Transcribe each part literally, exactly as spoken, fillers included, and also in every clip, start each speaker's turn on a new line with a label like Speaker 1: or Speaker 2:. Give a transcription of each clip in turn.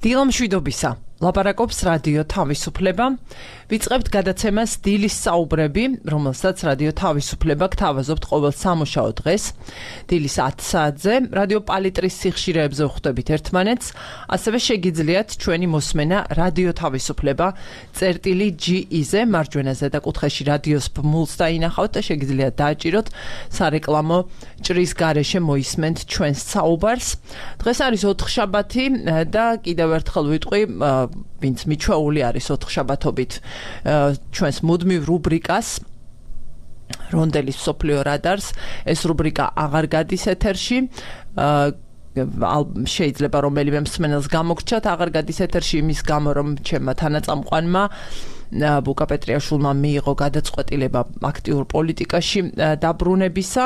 Speaker 1: დილამშვიდობისა. ლაპარაკობს რადიო თავისუფლება. ვიწყებთ გადაცემას დილის საუბრები, რომელსაც რადიო თავისუფლება გთავაზობთ ყოველ სამუშაო დღეს. დილის ათი საათზე რადიო პალიტრის სიხშირეებზე ვხვდებით ერთმანეთს, ასევე შეგიძლიათ ჩვენი მოსმენა რადიო თავისუფლება წერტილი ჯი ი-ზე მარჯვენა ზედაკუთხეში რადიოს ბმულს დაინახავთ და შეგიძლიათ დააჭიროთ სარეკლამო ჭრის გარეშე მოისმენთ ჩვენს საუბარს. დღეს არის ოთხშაბათი და კიდევ ერთხელ ვიტყვი, ვინც მიჩვეული არის ოთხშაბათობით ჩვენს მუდმივ რუბრიკას რონდელის მსოფლიო რადარს. ეს რუბრიკა აღარ გადის ეთერში. შეიძლება რომელიმე მსმენელს გამოგრჩათ აღარ გადის ეთერში იმის გამო, რომ ჩემმა თანაწამყვანმა ბუკა პეტრიაშვილმა მიიღო გადაწყვეტილება აქტიურ პოლიტიკაში დაბრუნებისა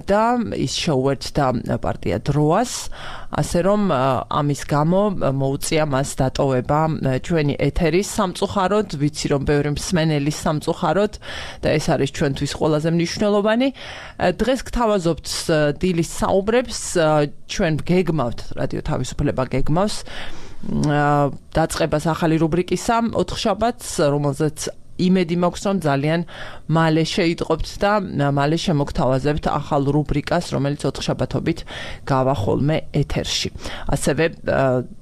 Speaker 1: და ის შეუერთდა პარტია დროას, ასე რომ ამის გამო მოუწია მას დატოვება ჩვენი ეთერის სამწუხაროდ. ვიცი, რომ ბევრი მსმენელის სამწუხაროდ და ეს არის ჩვენთვის ყველაზე მნიშვნელოვანი. დღეს გთავაზობთ დილის საუბრებს, ჩვენ გეგმავთ, რადიო თავისუფლება გეგმავს დაწყებას ახალი რუბრიკისა ოთხშაბათს, რომელზეც იმედი მაქვს, რომ ძალიან მალე შეიტყობთ და მალე შემოგთავაზებთ ახალ რუბრიკას, რომელიც ოთხშაბათობით გავა ხოლმე ეთერში. ასევე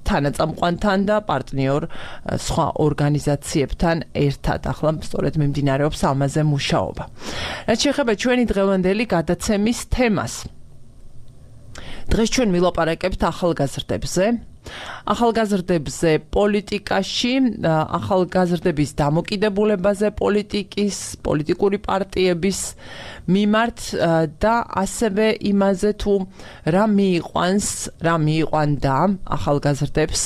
Speaker 1: თანაწამყვანთან და პარტნიორ სხვა ორგანიზაციებთან ერთად. ახლა სწორედ მიმდინარეობს ამაზე მუშაობა. რაც შეეხება ჩვენი დღევანდელი გადაცემის თემას. დღეს ჩვენ ვილაპარაკებთ ახალგაზრდებზე. ახალგაზრდებზე პოლიტიკაში, ახალგაზრდების დამოკიდებულებაზე პოლიტიკის, პოლიტიკური პარტიების მიმართ და ასევე იმაზე თუ რა მიიყვანს, რა მიიყვანდა ახალგაზრდებს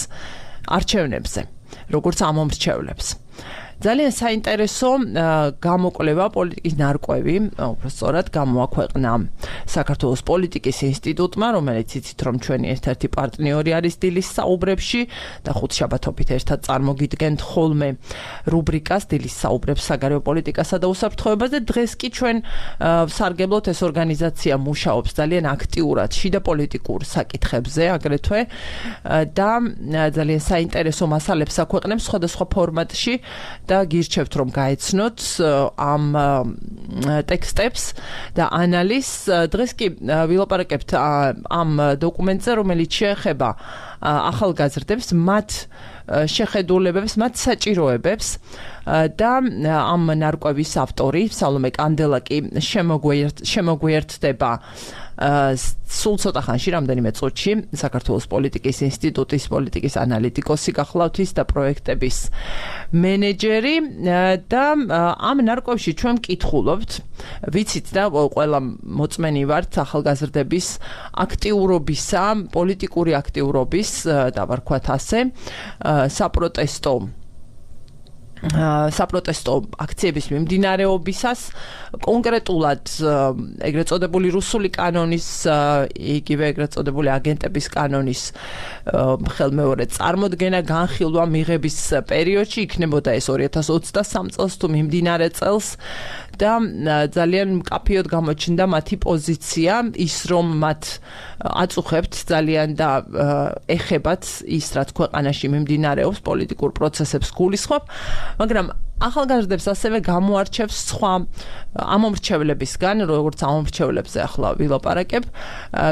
Speaker 1: არჩევნებზე, როგორც ამომრჩევლებს. ძალიან საინტერესო გამოკვლევა პოლიტიკის ნარკვევი, უბრალოდ გამოაქვეყნა საქართველოს პოლიტიკის ინსტიტუტმა, რომელიც იცით, რომ ჩვენი ერთ-ერთი პარტნიორი არის დილის საუბრებში და ხუთშაბათობით ერთად წარმოგიდგენთ ხოლმე რუბრიკას დილის საუბრებს საგარეო პოლიტიკასა და უსაფრთხოებაზე. დღეს კი ჩვენ ვსარგებლოთ, ეს ორგანიზაცია მუშაობს ძალიან აქტიურად შიდა პოლიტიკურ საკითხებზე აგრეთვე და ძალიან საინტერესო მასალებს აქვეყნებს სხვადასხვა ფორმატში. და გირჩევთ, რომ გაეცნოთ ამ ტექსტებს და ანალიზს. დღეს კი ვილაპარაკებთ ამ დოკუმენტზე, რომელიც შეეხება ახალგაზრდებს, მათ შეხედულებებს, მათ საჭიროებებს და ამ ნარკვევის ავტორი სალომე კანდელაკი შემოგვიერთდება სულ ცოტა ხანში, რამდენიმე წუთში, საქართველოს პოლიტიკის ინსტიტუტის პოლიტიკის ანალიტიკოსი გახლავთ ის და პროექტების მენეჯერი და ამ ნარკვევში ჩვენ ვკითხულობთ, ვიცით და ყველა მოწმენი ვართ ახალგაზრდების აქტიურობისა, პოლიტიკური აქტიურობის, დავარქვათ ასე, საპროტესტო საპროტესტო აქციების მიმდინარეობისას, კონკრეტულად ეგრეთ წოდებული რუსული კანონის, იგივე ეგრეთ წოდებული აგენტების კანონის ხელმეორე წარმოდგენა, განხილვა მიღების პერიოდში, იქნებოდა ეს ორი ათას ოცდასამ წელს თუ მიმდინარე წელს და ძალიან მკაფიოდ გამოჩნდა მათი პოზიცია, ის რომ მათ აწუხებთ ძალიან და ეხებათ ის, რაც ქვეყანაში მიმდინარეობს, პოლიტიკურ პროცესებს გულისხმობ, მაგრამ ახალგაზრდებს ასევე გამოარჩევს სხვა ამომრჩევლებისგან, როგორც ამომრჩევლებზე ახლა ვილაპარაკებ,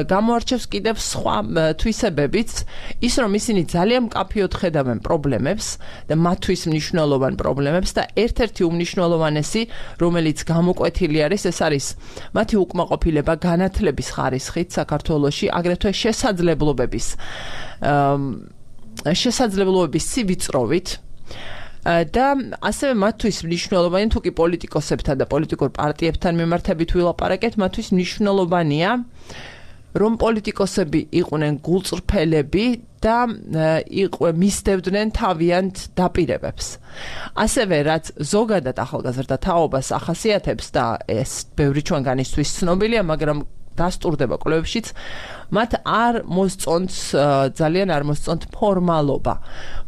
Speaker 1: გამოარჩევს კიდევ სხვა თვისებებიც, ის რომ ისინი ძალიან მკაფიოდ ხედავენ პრობლემებს და მათთვის მნიშვნელოვან პრობლემებს და ერთ-ერთი უმნიშვნელოვანესი, რომელიც გამოკვეთილი არის, ეს არის მათი უკმაყოფილება განათლების ხარისხით საქართველოში, აგრეთვე შესაძლებლობების შესაძლებლობების სივიწროვით. და ასევე მათთვის მნიშვნელოვანი, თუ კი პოლიტიკოსებთან და პოლიტიკურ პარტიებთან მიმართებით ვილაპარაკეთ, მათთვის მნიშვნელოვანია, რომ პოლიტიკოსები იყვნენ გულწრფელები და მისდევდნენ თავიანთ დაპირებებს. ასევე რაც ზოგადად ახალგაზრდა თაობას ახასიათებს და ეს ბევრი ჩვენგანისთვის ცნობილია, მაგრამ დასტურდება კვლევებშიც, მათ არ მოსწონთ, ძალიან არ მოსწონთ ფორმალობა.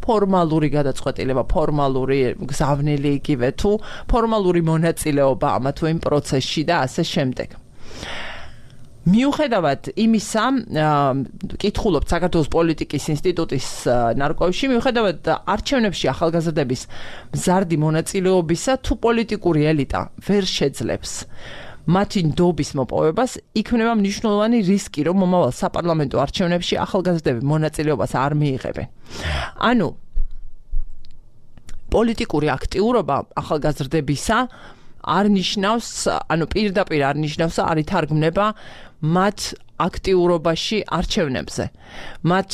Speaker 1: ფორმალური გადაწყვეტილება, ფორმალური გზავნილი იგივე თუ ფორმალური მონაწილეობა ამა თუ იმ პროცესში და ასე შემდეგ. მიუხედავად იმისა, კითხულობთ საქართველოს პოლიტიკის ინსტიტუტის ნარკვევში, მიუხედავად არჩევნებში ახალგაზრდების მზარდი მონაწილეობისა, თუ პოლიტიკური ელიტა ვერ შეძლებს მათი ნდობის მოპოვებას, იქნება მნიშვნელოვანი რისკი, რომ მომავალ საპარლამენტო არჩევნებში ახალგაზრდები მონაწილეობას არ მიიღებენ. ანუ პოლიტიკური აქტიურობა ახალგაზრდებისა არ ნიშნავს, ანუ პირდაპირ არ ნიშნავს, არ ითარგმნება მათ აქტიურობაში არჩევნებზე, მათ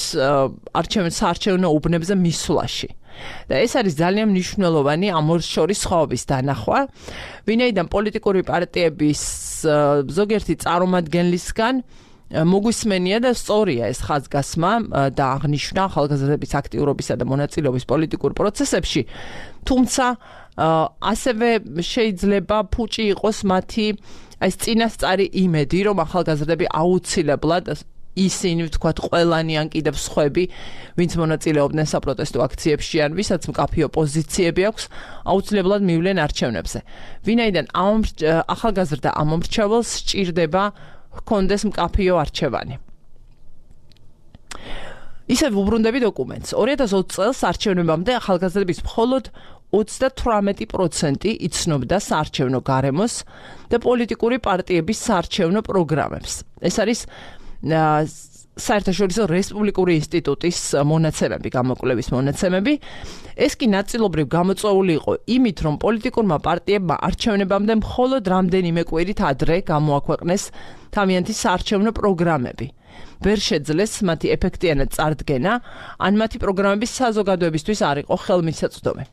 Speaker 1: საარჩევნო უბნებზე მისვლაში. და ეს არის ძალიან მნიშვნელოვანი ამ ორ შორის სხვაობის დანახვა, ვინაიდან პოლიტიკური პარტიების ზოგიერთი წარმომადგენლისგან მოგვისმენია და სწორია ეს ხაზგასმა და აღნიშნა ახალგაზრდების აქტიურობისა და მონაწილეობის პოლიტიკურ პროცესებში, თუმცა ასევე შეიძლება ფუჭი იყოს მათი ეს წინასწარი იმედი, რომ ახალგაზრდები აუცილებლად ისინი ვთქვათ ყველანი ან კიდევ სხვები, ვინც მონაწილეობდნენ საპროტესტო აქციებში ან ვისაც მკაფიო პოზიციები აქვს, აუცილებლად მივლენ არჩევნებზე. ვინაიდან ახალგაზრდა ამომრჩეველს სჭირდება ჰქონდეს მკაფიო არჩევანი. ისევ ვუბრუნდები დოკუმენტს. ორი ათას ოცი წელს არჩევნებამდე ახალგაზრდების მხოლოდ ოცდათვრამეტი პროცენტი იცნობდა საარჩევნო გარემოს და პოლიტიკური პარტიების საარჩევნო პროგრამებს. ეს არის საერთაშორისო რესპუბლიკური ინსტიტუტის მონაცემები, გამოკვლევის მონაცემები. ეს კი ნაწილობრივ გამოწვეული იყო იმით, რომ პოლიტიკურმა პარტიებმა არჩევნებამდე მხოლოდ რამდენიმე კვირით ადრე გამოაქვეყნეს თავიანთი საარჩევნო პროგრამები. ვერ შეძლეს მათი ეფექტიანად წარდგენა, ან მათი პროგრამების საზოგადოებისთვის არ იყო ხელმისაწვდომი.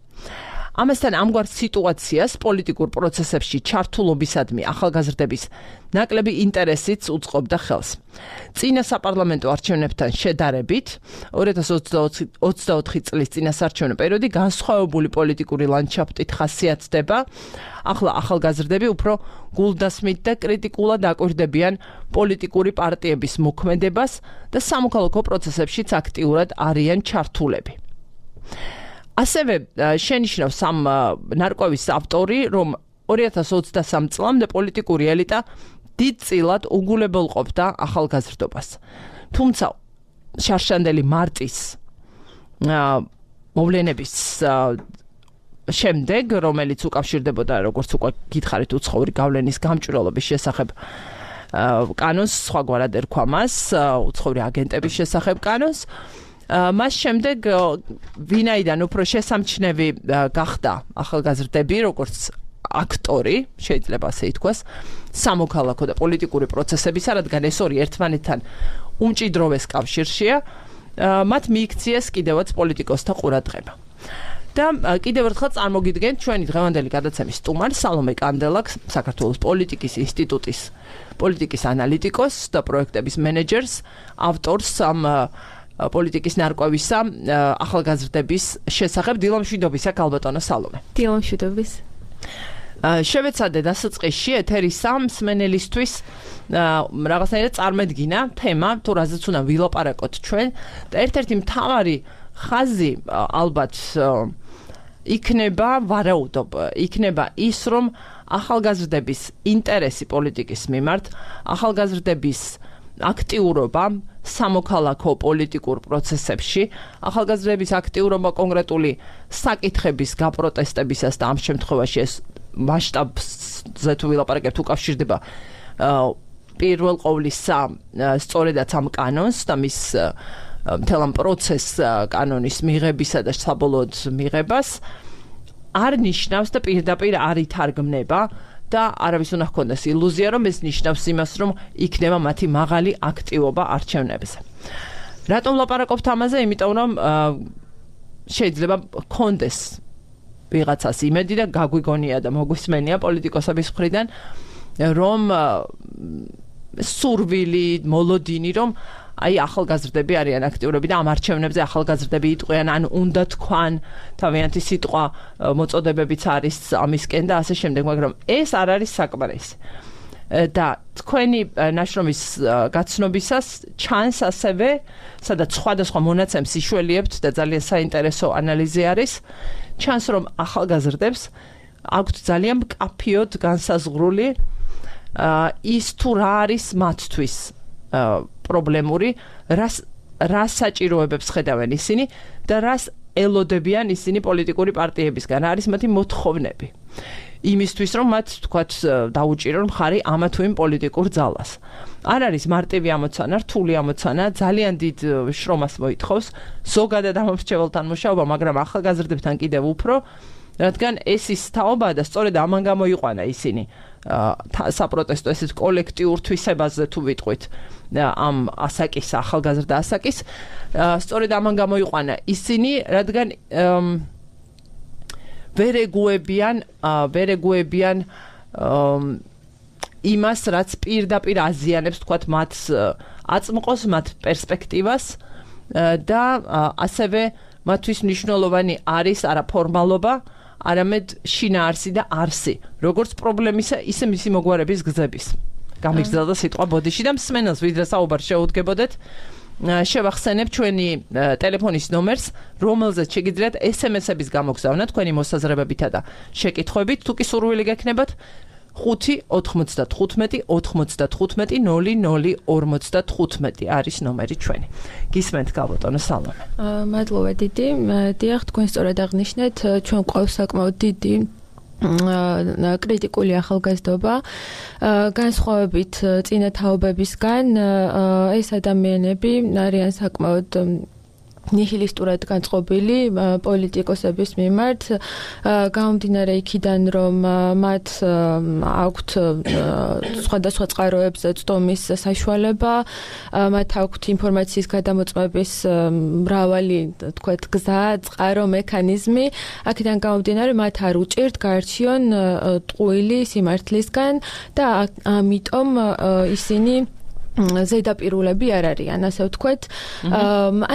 Speaker 1: ამასთან ამგვარ სიტუაციას პოლიტიკურ პროცესებში ჩართულობისადმი ახალგაზრდების ნაკლები ინტერესიც უწყობდა ხელს. წინა საპარლამენტო არჩევნებთან შედარებით, ორი ათას ოცდაოთხი წლის წინასაარჩევნო პერიოდი განსხვავებული პოლიტიკური ლანდშაფტით ხასიათდება. ახლა ახალგაზრდები უფრო გულდასმით და კრიტიკულად აკვირდებიან პოლიტიკური პარტიების მოქმედებას და სამოქალაქო პროცესებშიც აქტიურად არიან ჩართულები. ასევე შენიშნავს ამ ნარკვევის ავტორი, რომ ორი ათას ოცდასამი წლამდე პოლიტიკური ელიტა დიდწილად უგულებელყოფდა ახალგაზრდობას. თუმცა შარშანდელი მარტის მოვლენების შემდეგ, რომელიც უკავშირდებოდა, როგორც უკვე გითხარით, უცხოური გავლენის გამჭვირვალობის შესახებ კანონს, სხვაგვარად ერქვა მას, უცხოური აგენტების შესახებ კანონს, მას შემდეგ ვინაიდან უფრო შესამჩნევი გახდა ახალგაზრდები, როგორც აქტორი, შეიძლება ასე ითქვას, სამოქალაქო და პოლიტიკური პროცესებისა, რადგან ეს ორი ერთმანეთთან უმჭიდროვეს კავშირშია, მათ მიიქციეს კიდევაც პოლიტიკოსთა ყურადღება. და კიდევ ერთხელ წარმოგიდგენთ ჩვენი დღევანდელი გადაცემის სტუმარს, სალომე კანდელაკს, საქართველოს პოლიტიკის ინსტიტუტის პოლიტიკის ანალიტიკოსს და პროექტების მენეჯერს, ავტორს ამ პოლიტიკის ნარკვევისა ახალგაზრდების შესახებ. დილამშვიდობისა, ქალბატონო სალომე.
Speaker 2: დილამშვიდობის.
Speaker 1: შევეცადე დასაწყისში ეთერის ამ მსმენელისთვის რაღაცნაირად წარმოედგინა თემა, თუ რაზეც უნდა ვილაპარაკოთ ჩვენ და ერთ-ერთი მთავარი ხაზი ალბათ იქნება ვარაუდობ, იქნება ის, რომ ახალგაზრდების ინტერესი პოლიტიკის მიმართ, ახალგაზრდების აქტიურობა სამოქალაქო პოლიტიკურ პროცესებში, ახალგაზრდების აქტიურობა კონკრეტული საკითხების გაპროტესტებისას და ამ შემთხვევაში ეს მასშტაბზე თუ ვილაპარაკებთ უკავშირდება პირველ ყოვლისა სწორედაც ამ კანონს და მის მთელ ამ პროცესს კანონის მიღებისა და საბოლოოდ მიღებას არ ნიშნავს და პირდაპირ არ ითარგმნება და არავის უნდა ჰქონდეს ილუზია, რომ ეს ნიშნავს იმას, რომ იქნება მათი მაღალი აქტივობა არჩევნებზე. რატომ ვლაპარაკობთ ამაზე? იმიტომ რომ შეიძლება ჰქონდეს ვიღაცას იმედი და გაგვიგონია და მოგვისმენია პოლიტიკოსების მხრიდან, რომ სურვილი, მოლოდინი, რომ აი ახალგაზრდები არიან აქტიურები და ამ არჩევნებზე ახალგაზრდები იტყვიან, ან უნდა თქვან თავიანთი სიტყვა მოწოდებებიც არის ამისკენ და ასე შემდეგ, მაგრამ ეს არ არის საკმარისი. და თქვენი ნაშრომის გაცნობისას ჩანს ასევე, სადაც სხვადასხვა მონაცემს იშველიებთ და ძალიან საინტერესო ანალიზი არის, ჩანს, რომ ახალგაზრდებს აქვთ ძალიან მკაფიოდ განსაზღვრული ის თუ რა არის მათთვის პრობლემური, რას რას საჭიროებებს ხედავენ ისინი და რას ელოდებიან ისინი პოლიტიკური პარტიებისგან, არის მათი მოთხოვნები. იმისთვის რომ მათ თქვათ დაუჭირონ მხარი ამა თუ იმ პოლიტიკურ ძალას. არ არის მარტივი ამოცანა, რთული ამოცანა, ძალიან დიდ შრომას მოითხოვს, ზოგადად ამომრჩეველთან მუშაობა, მაგრამ ახალგაზრდებთან კიდევ უფრო, რადგან ეს ის თაობაა და სწორედ ამან გამოიყვანა ისინი საპროტესტო ესეთ კოლექტიურ თვისებაზე თუ ვიტყვით ამ ასაკის, ახალგაზრდა ასაკის, სწორედ ამან გამოიყვანა ისინი, რადგან ვერ ეგუებიან, ვერ ეგუებიან იმას, რაც პირდაპირ აზიანებს, თქვათ, მათ აწმყოს, მათ პერსპექტივას და ასევე მათთვის მნიშვნელოვანი არის არა ფორმალობა, არამედ შინაარსი და არსი, როგორც პრობლემისა, ისე მისი მოგვარების გზების. გამიგზავნა სიტყვა ბოდიში და მსმენელს ვიდრე საუბარ შეუდგებოდეთ, შევახსენებ ჩვენი ტელეფონის ნომერს, რომელზეც შეგიძლიათ ეს ემ ესების გამოგზავნა თქვენი მოსაზრებებითა და შეკითხვებით, თუ კი სურვილი გექნებათ, ხუთი ოთხმოცდათხუთმეტი ოთხმოცდათხუთმეტი ნული ნული ორმოცდათხუთმეტი არის ნომერი ჩვენი. გისმენთ გალბატონო სალომე.
Speaker 2: მადლობა დიდი. დიახ, თქვენ სწორად აღნიშნეთ, ჩვენ გვყავს საკმაოდ დიდი კრიტიკული ახალგაზრდობა, განსხვავებით წინა თაობებისგან, ეს ადამიანები არიან საკმაოდ ნიჰილისტურად განწყობილი პოლიტიკოსების მიმართ, გამომდინარე იქიდან, რომ მათ აქვთ სხვადასხვა წყაროებზე წდომის საშუალება, მათ აქვთ ინფორმაციის გადამოწმების მრავალი, თქვათ, გზა, წყარო, მექანიზმი, აქედან გამომდინარე, მათ არ უჭირთ გაარჩიონ ტყუილი სიმართლისგან და ამიტომ ისინი ზედაპირულები არ არიან, ასე ვთქვათ.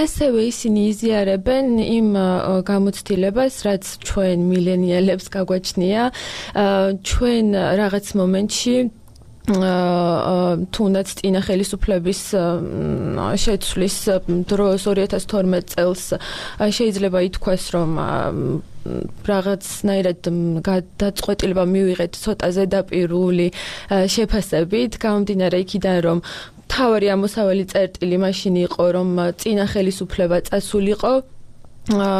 Speaker 2: ასევე ისინი იზიარებენ იმ გამოცდილებას, რაც ჩვენ მილენიალებს გაგვაჩნია, ჩვენ რაღაც მომენტში თუნდაც წინა ხელისუფლების შეცვლის დროს ორი ათას თორმეტ წელს შეიძლება ითქვას, რომ რაღაცნაირად გადაწყვეტილება მივიღეთ ცოტა ზედაპირული შეფასებით, გამომდინარე იქიდან, რომ თავარი ამოსავალი წერტილი მაშინ იყო, რომ წინა ხელისუფლება წასულიყო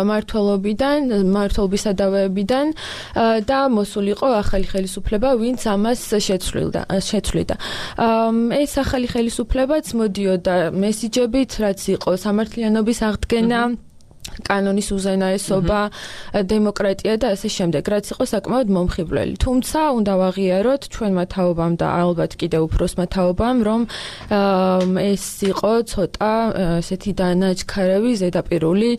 Speaker 2: მართლობიდან, მართლობის სადავეებიდან და მოსულიყო ახალი ხელისუფლება, ვინც ამას შეცვლიდა. შეცვლიდა. ეს ახალი ხელისუფლებაც მოდიოდა მესიჯებით, რაც იყო სამართლიანობის აღდგენა, კანონის უზენაესობა, დემოკრატია და ასე შემდეგ, რაც იყო საკმაოდ მომხიბვლელი. თუმცა, უნდა ვაღიაროთ ჩვენმა თაობამ და ალბათ კიდევ უფროსმა თაობამ, რომ ეს იყო ცოტა ესეთი დანაჩქარევი, ზედაპირული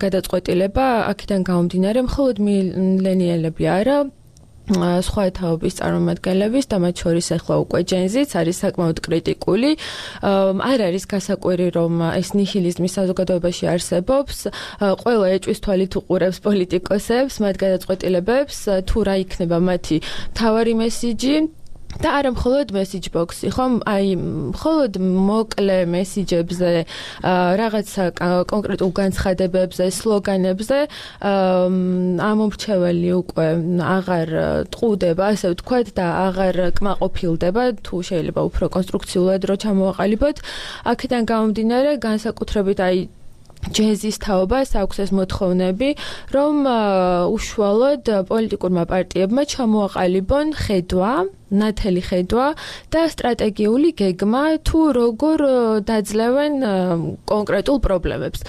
Speaker 2: გადაწყვეტილება, აქედან გამომდინარე, მხოლოდ მილენიალები არა, სხვა თაობის წარმომადგენლების და მათ შორის ახლა უკვე ჯენზიც არის საკმაოდ კრიტიკული. არ არის გასაკვირი, რომ ეს ნიჰილიზმი საზოგადოებაში არსებობს. ყველა ეჭვის თვალით უყურებს პოლიტიკოსებს, მათ გადაწყვეტილებებს, თუ რა იქნება მათი მთავარი მესიჯი. და არა მხოლოდ message box-ი, ხომ? აი, მხოლოდ მოკლე მესიჯებზე, რაღაცა კონკრეტულ განცხადებებზე, სლოგანებზე, ამომრჩეველი უკვე აღარ ტყუდება, ასე ვთქვათ, და აღარ კმაყოფილდება, თუ შეიძლება უფრო კონსტრუქციულად რო ჩამოვაყალიბოთ. აქედან გამომდინარე, განსაკუთრებით აი ჯენზის თაობას აქვს ეს მოთხოვნები, რომ უშუალოდ პოლიტიკურმა პარტიებმა ჩამოაყალიბონ ხედვა, ნათელი ხედვა და სტრატეგიული გეგმა, თუ როგორ დაძლევენ კონკრეტულ პრობლემებს.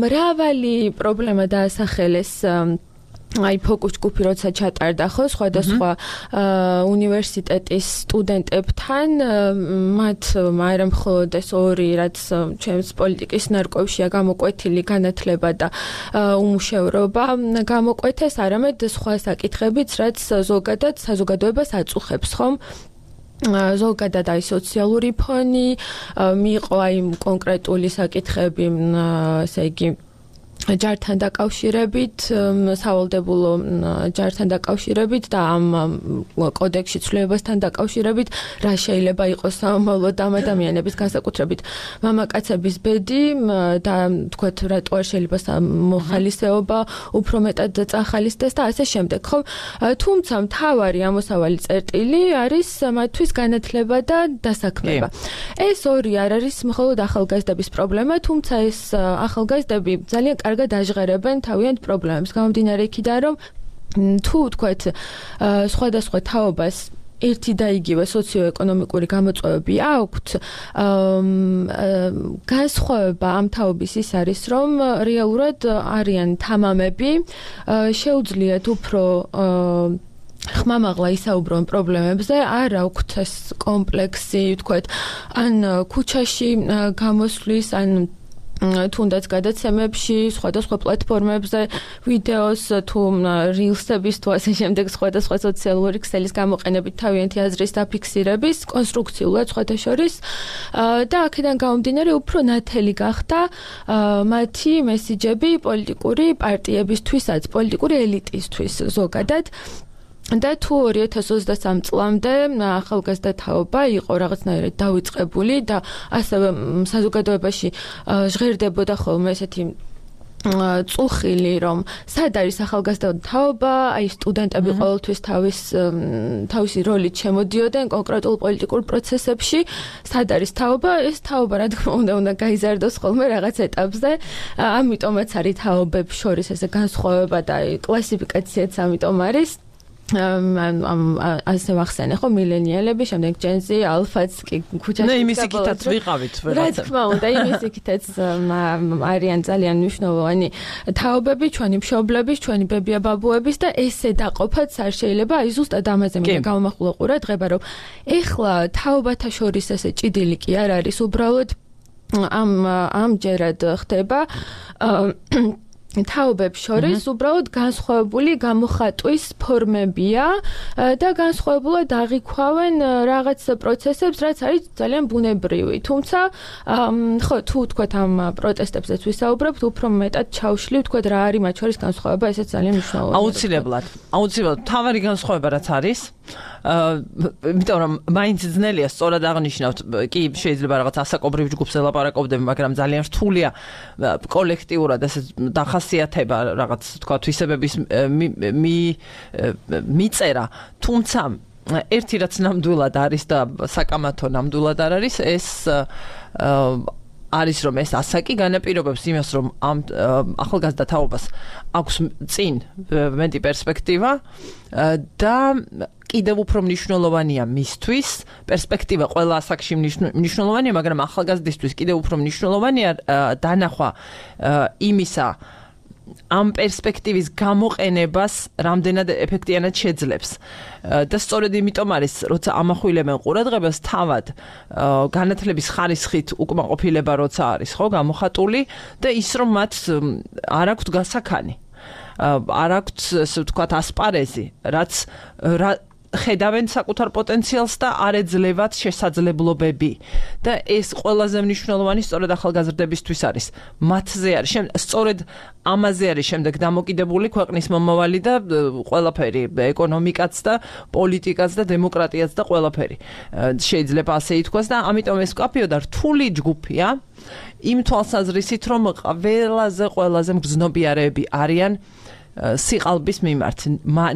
Speaker 2: მრავალი პრობლემა დაასახელეს აი ფოკუს ჯგუფი როცა ჩატარდა ხო სხვადასხვა უნივერსიტეტის სტუდენტებთან, მათ არა მხოლოდ ეს ორი, რაც ჩემს პოლიტიკის ნარკვევშია გამოკვეთილი განათლება და უმუშევრობა გამოკვეთეს, არამედ სხვა საკითხებიც, რაც ზოგადად საზოგადოებას აწუხებს, ხომ? ზოგადად აი სოციალური ფონი, მიიღო აი კონკრეტული საკითხები, ესე იგი ჯართან დაკავშირებით, სავალდებულო ჯართან დაკავშირებით და ამ კოდექსში ცვლილებასთან დაკავშირებით, რა შეიძლება იყოს სამომავლოდ ამ ადამიანების განსაკუთრებით მამაკაცების ბედი და თქვათ რატო არ შეიძლება მოხალისეობა უფრო მეტად წახალისდეს და ასე შემდეგ, ხო? თუმცა მთავარი ამოსავალი წერტილი არის მათთვის განათლება და დასაქმება. ეს ორი არ არის მხოლოდ ახალგაზრდების პრობლემა, თუმცა ეს ახალგაზრდები ძალიან კარგად აჟღერებენ თავიანთ პრობლემებს. გამომდინარე იქიდან, რომ თუ თქვათ სხვადასხვა თაობას ერთი და იგივე სოციო-ეკონომიკური გამოწვევები აქვთ, განსხვავება ამ თაობის ის არის, რომ რეალურად არიან თამამები, შეუძლიათ უფრო ხმამაღლა ისაუბრონ პრობლემებზე, არ აქვთ ეს კომპლექსი, თქვათ, ან ქუჩაში გამოსვლის, ან თუნდაც გადაცემებში, სხვადასხვა პლატფორმებზე, ვიდეოს თუ rilsების თუ ასე შემდეგ სხვადასხვა სოციალური ქსელის გამოყენებით თავიანთი აზრის დაფიქსირების, კონსტრუქციულად სხვათა შორის და აქედან გამომდინარე უფრო ნათელი გახდა მათი მესიჯები პოლიტიკური პარტიებისთვისაც, პოლიტიკური ელიტისთვის ზოგადად. და თუ ორი ათას ოცდასამ წლამდე ახალგაზრდა თაობა იყო რაღაცნაირად დავიწყებული და ასევე საზოგადოებაში ჟღერდებოდა ხოლმე ესეთი წუხილი, რომ სად არის ახალგაზრდა თაობა, აი სტუდენტები ყოველთვის თავის თავისი როლით შემოდიოდნენ კონკრეტულ პოლიტიკურ პროცესებში, სად არის თაობა, ეს თაობა რა თქმა უნდა უნდა გაიზარდოს ხოლმე რაღაც ეტაპზე, ამიტომაც არის თაობებს შორის ესე განსხვავება და კლასიფიკაციაც ამიტომ არის. ამ ასე ვახსენე ხო მილენიალები, შემდეგ ჯენზი, ალფაც კი ქუჩაში.
Speaker 1: ნე იმის იქითაც ვიყავით
Speaker 2: რა თქმა უნდა, იმის იქითაც არიან ძალიან მნიშვნელოვანი თაობები, ჩვენი მშობლების, ჩვენი ბებია-ბაბუების და ესე დაყოფაც არ შეიძლება, აი ზუსტად ამაზე მინდა გავამახვილო ყურადღება, რომ ეხლა თაობათა შორის ესე ჭიდილი კი არ არის, უბრალოდ ამ ამჯერად ხდება თაობებს შორის უბრალოდ განსხვავებული გამოხატვის ფორმებია და განსხვავებულად აღიქვავენ რაღაც პროცესებს, რაც არის ძალიან ბუნებრივი. თუმცა, ხო, თუ თქვათ ამ პროტესტებზეც ვისაუბრებთ, უფრო მეტად ჩავშლივ, თქვათ რა არის მათ შორის განსხვავება, ესეც ძალიან მნიშვნელოვანია.
Speaker 1: აუცილებლად. აუცილებლად. თავარი განსხვავება რაც არის, იმიტომ რომ მაინც ძნელია სწორად აღნიშნავთ, კი შეიძლება რაღაც ასაკობრივ ჯგუფს ელაპარაკობდები, მაგრამ ძალიან რთულია კოლექტიურად ესე ხასიათება რაღაც თქვა თვისებების მიწერა, თუმცა ერთი რაც ნამდვილად არის და საკამათო ნამდვილად არ არის, ეს არის რომ ეს ასაკი განაპირობებს იმას, რომ ამ ახალგაზრდა თაობას აქვს წინ მეტი პერსპექტივა და კიდევ უფრო მნიშვნელოვანია მისთვის, პერსპექტივა ყველა ასაკში მნიშვნელოვანია, მაგრამ ახალგაზრდისთვის კიდევ უფრო მნიშვნელოვანია დანახვა იმისა, ამ პერსპექტივის გამოყენებას რამდენად ეფექტიანად შეძლებს. და სწორედ იმიტომ არის, როცა ამახვილებენ ყურადღებას თავად განათლების ხარისხით უკმაყოფილება როცა არის, ხო, გამოხატული და ის რომ მათ არ აქვთ გასაქანი. არ აქვთ, ასე ვთქვათ, ასპარეზი, რაც ხედავენ საკუთარ პოტენციალს და არ ეძლევათ შესაძლებლობები. და ეს ყველაზე მნიშვნელოვანი სწორედ ახალგაზრდებისთვის არის. მათზე არის, სწორედ ამაზე არის შემდეგ დამოკიდებული ქვეყნის მომავალი და ყველაფერი, ეკონომიკაც და პოლიტიკაც და დემოკრატიაც და ყველაფერი. შეიძლება ასე ითქვას და ამიტომ ეს კაფეო და რთული ჯგუფია იმ თვალსაზრისით, რომ ყველაზე ყველაზე მგრძნობიარეები არიან სიყალბის მიმართ,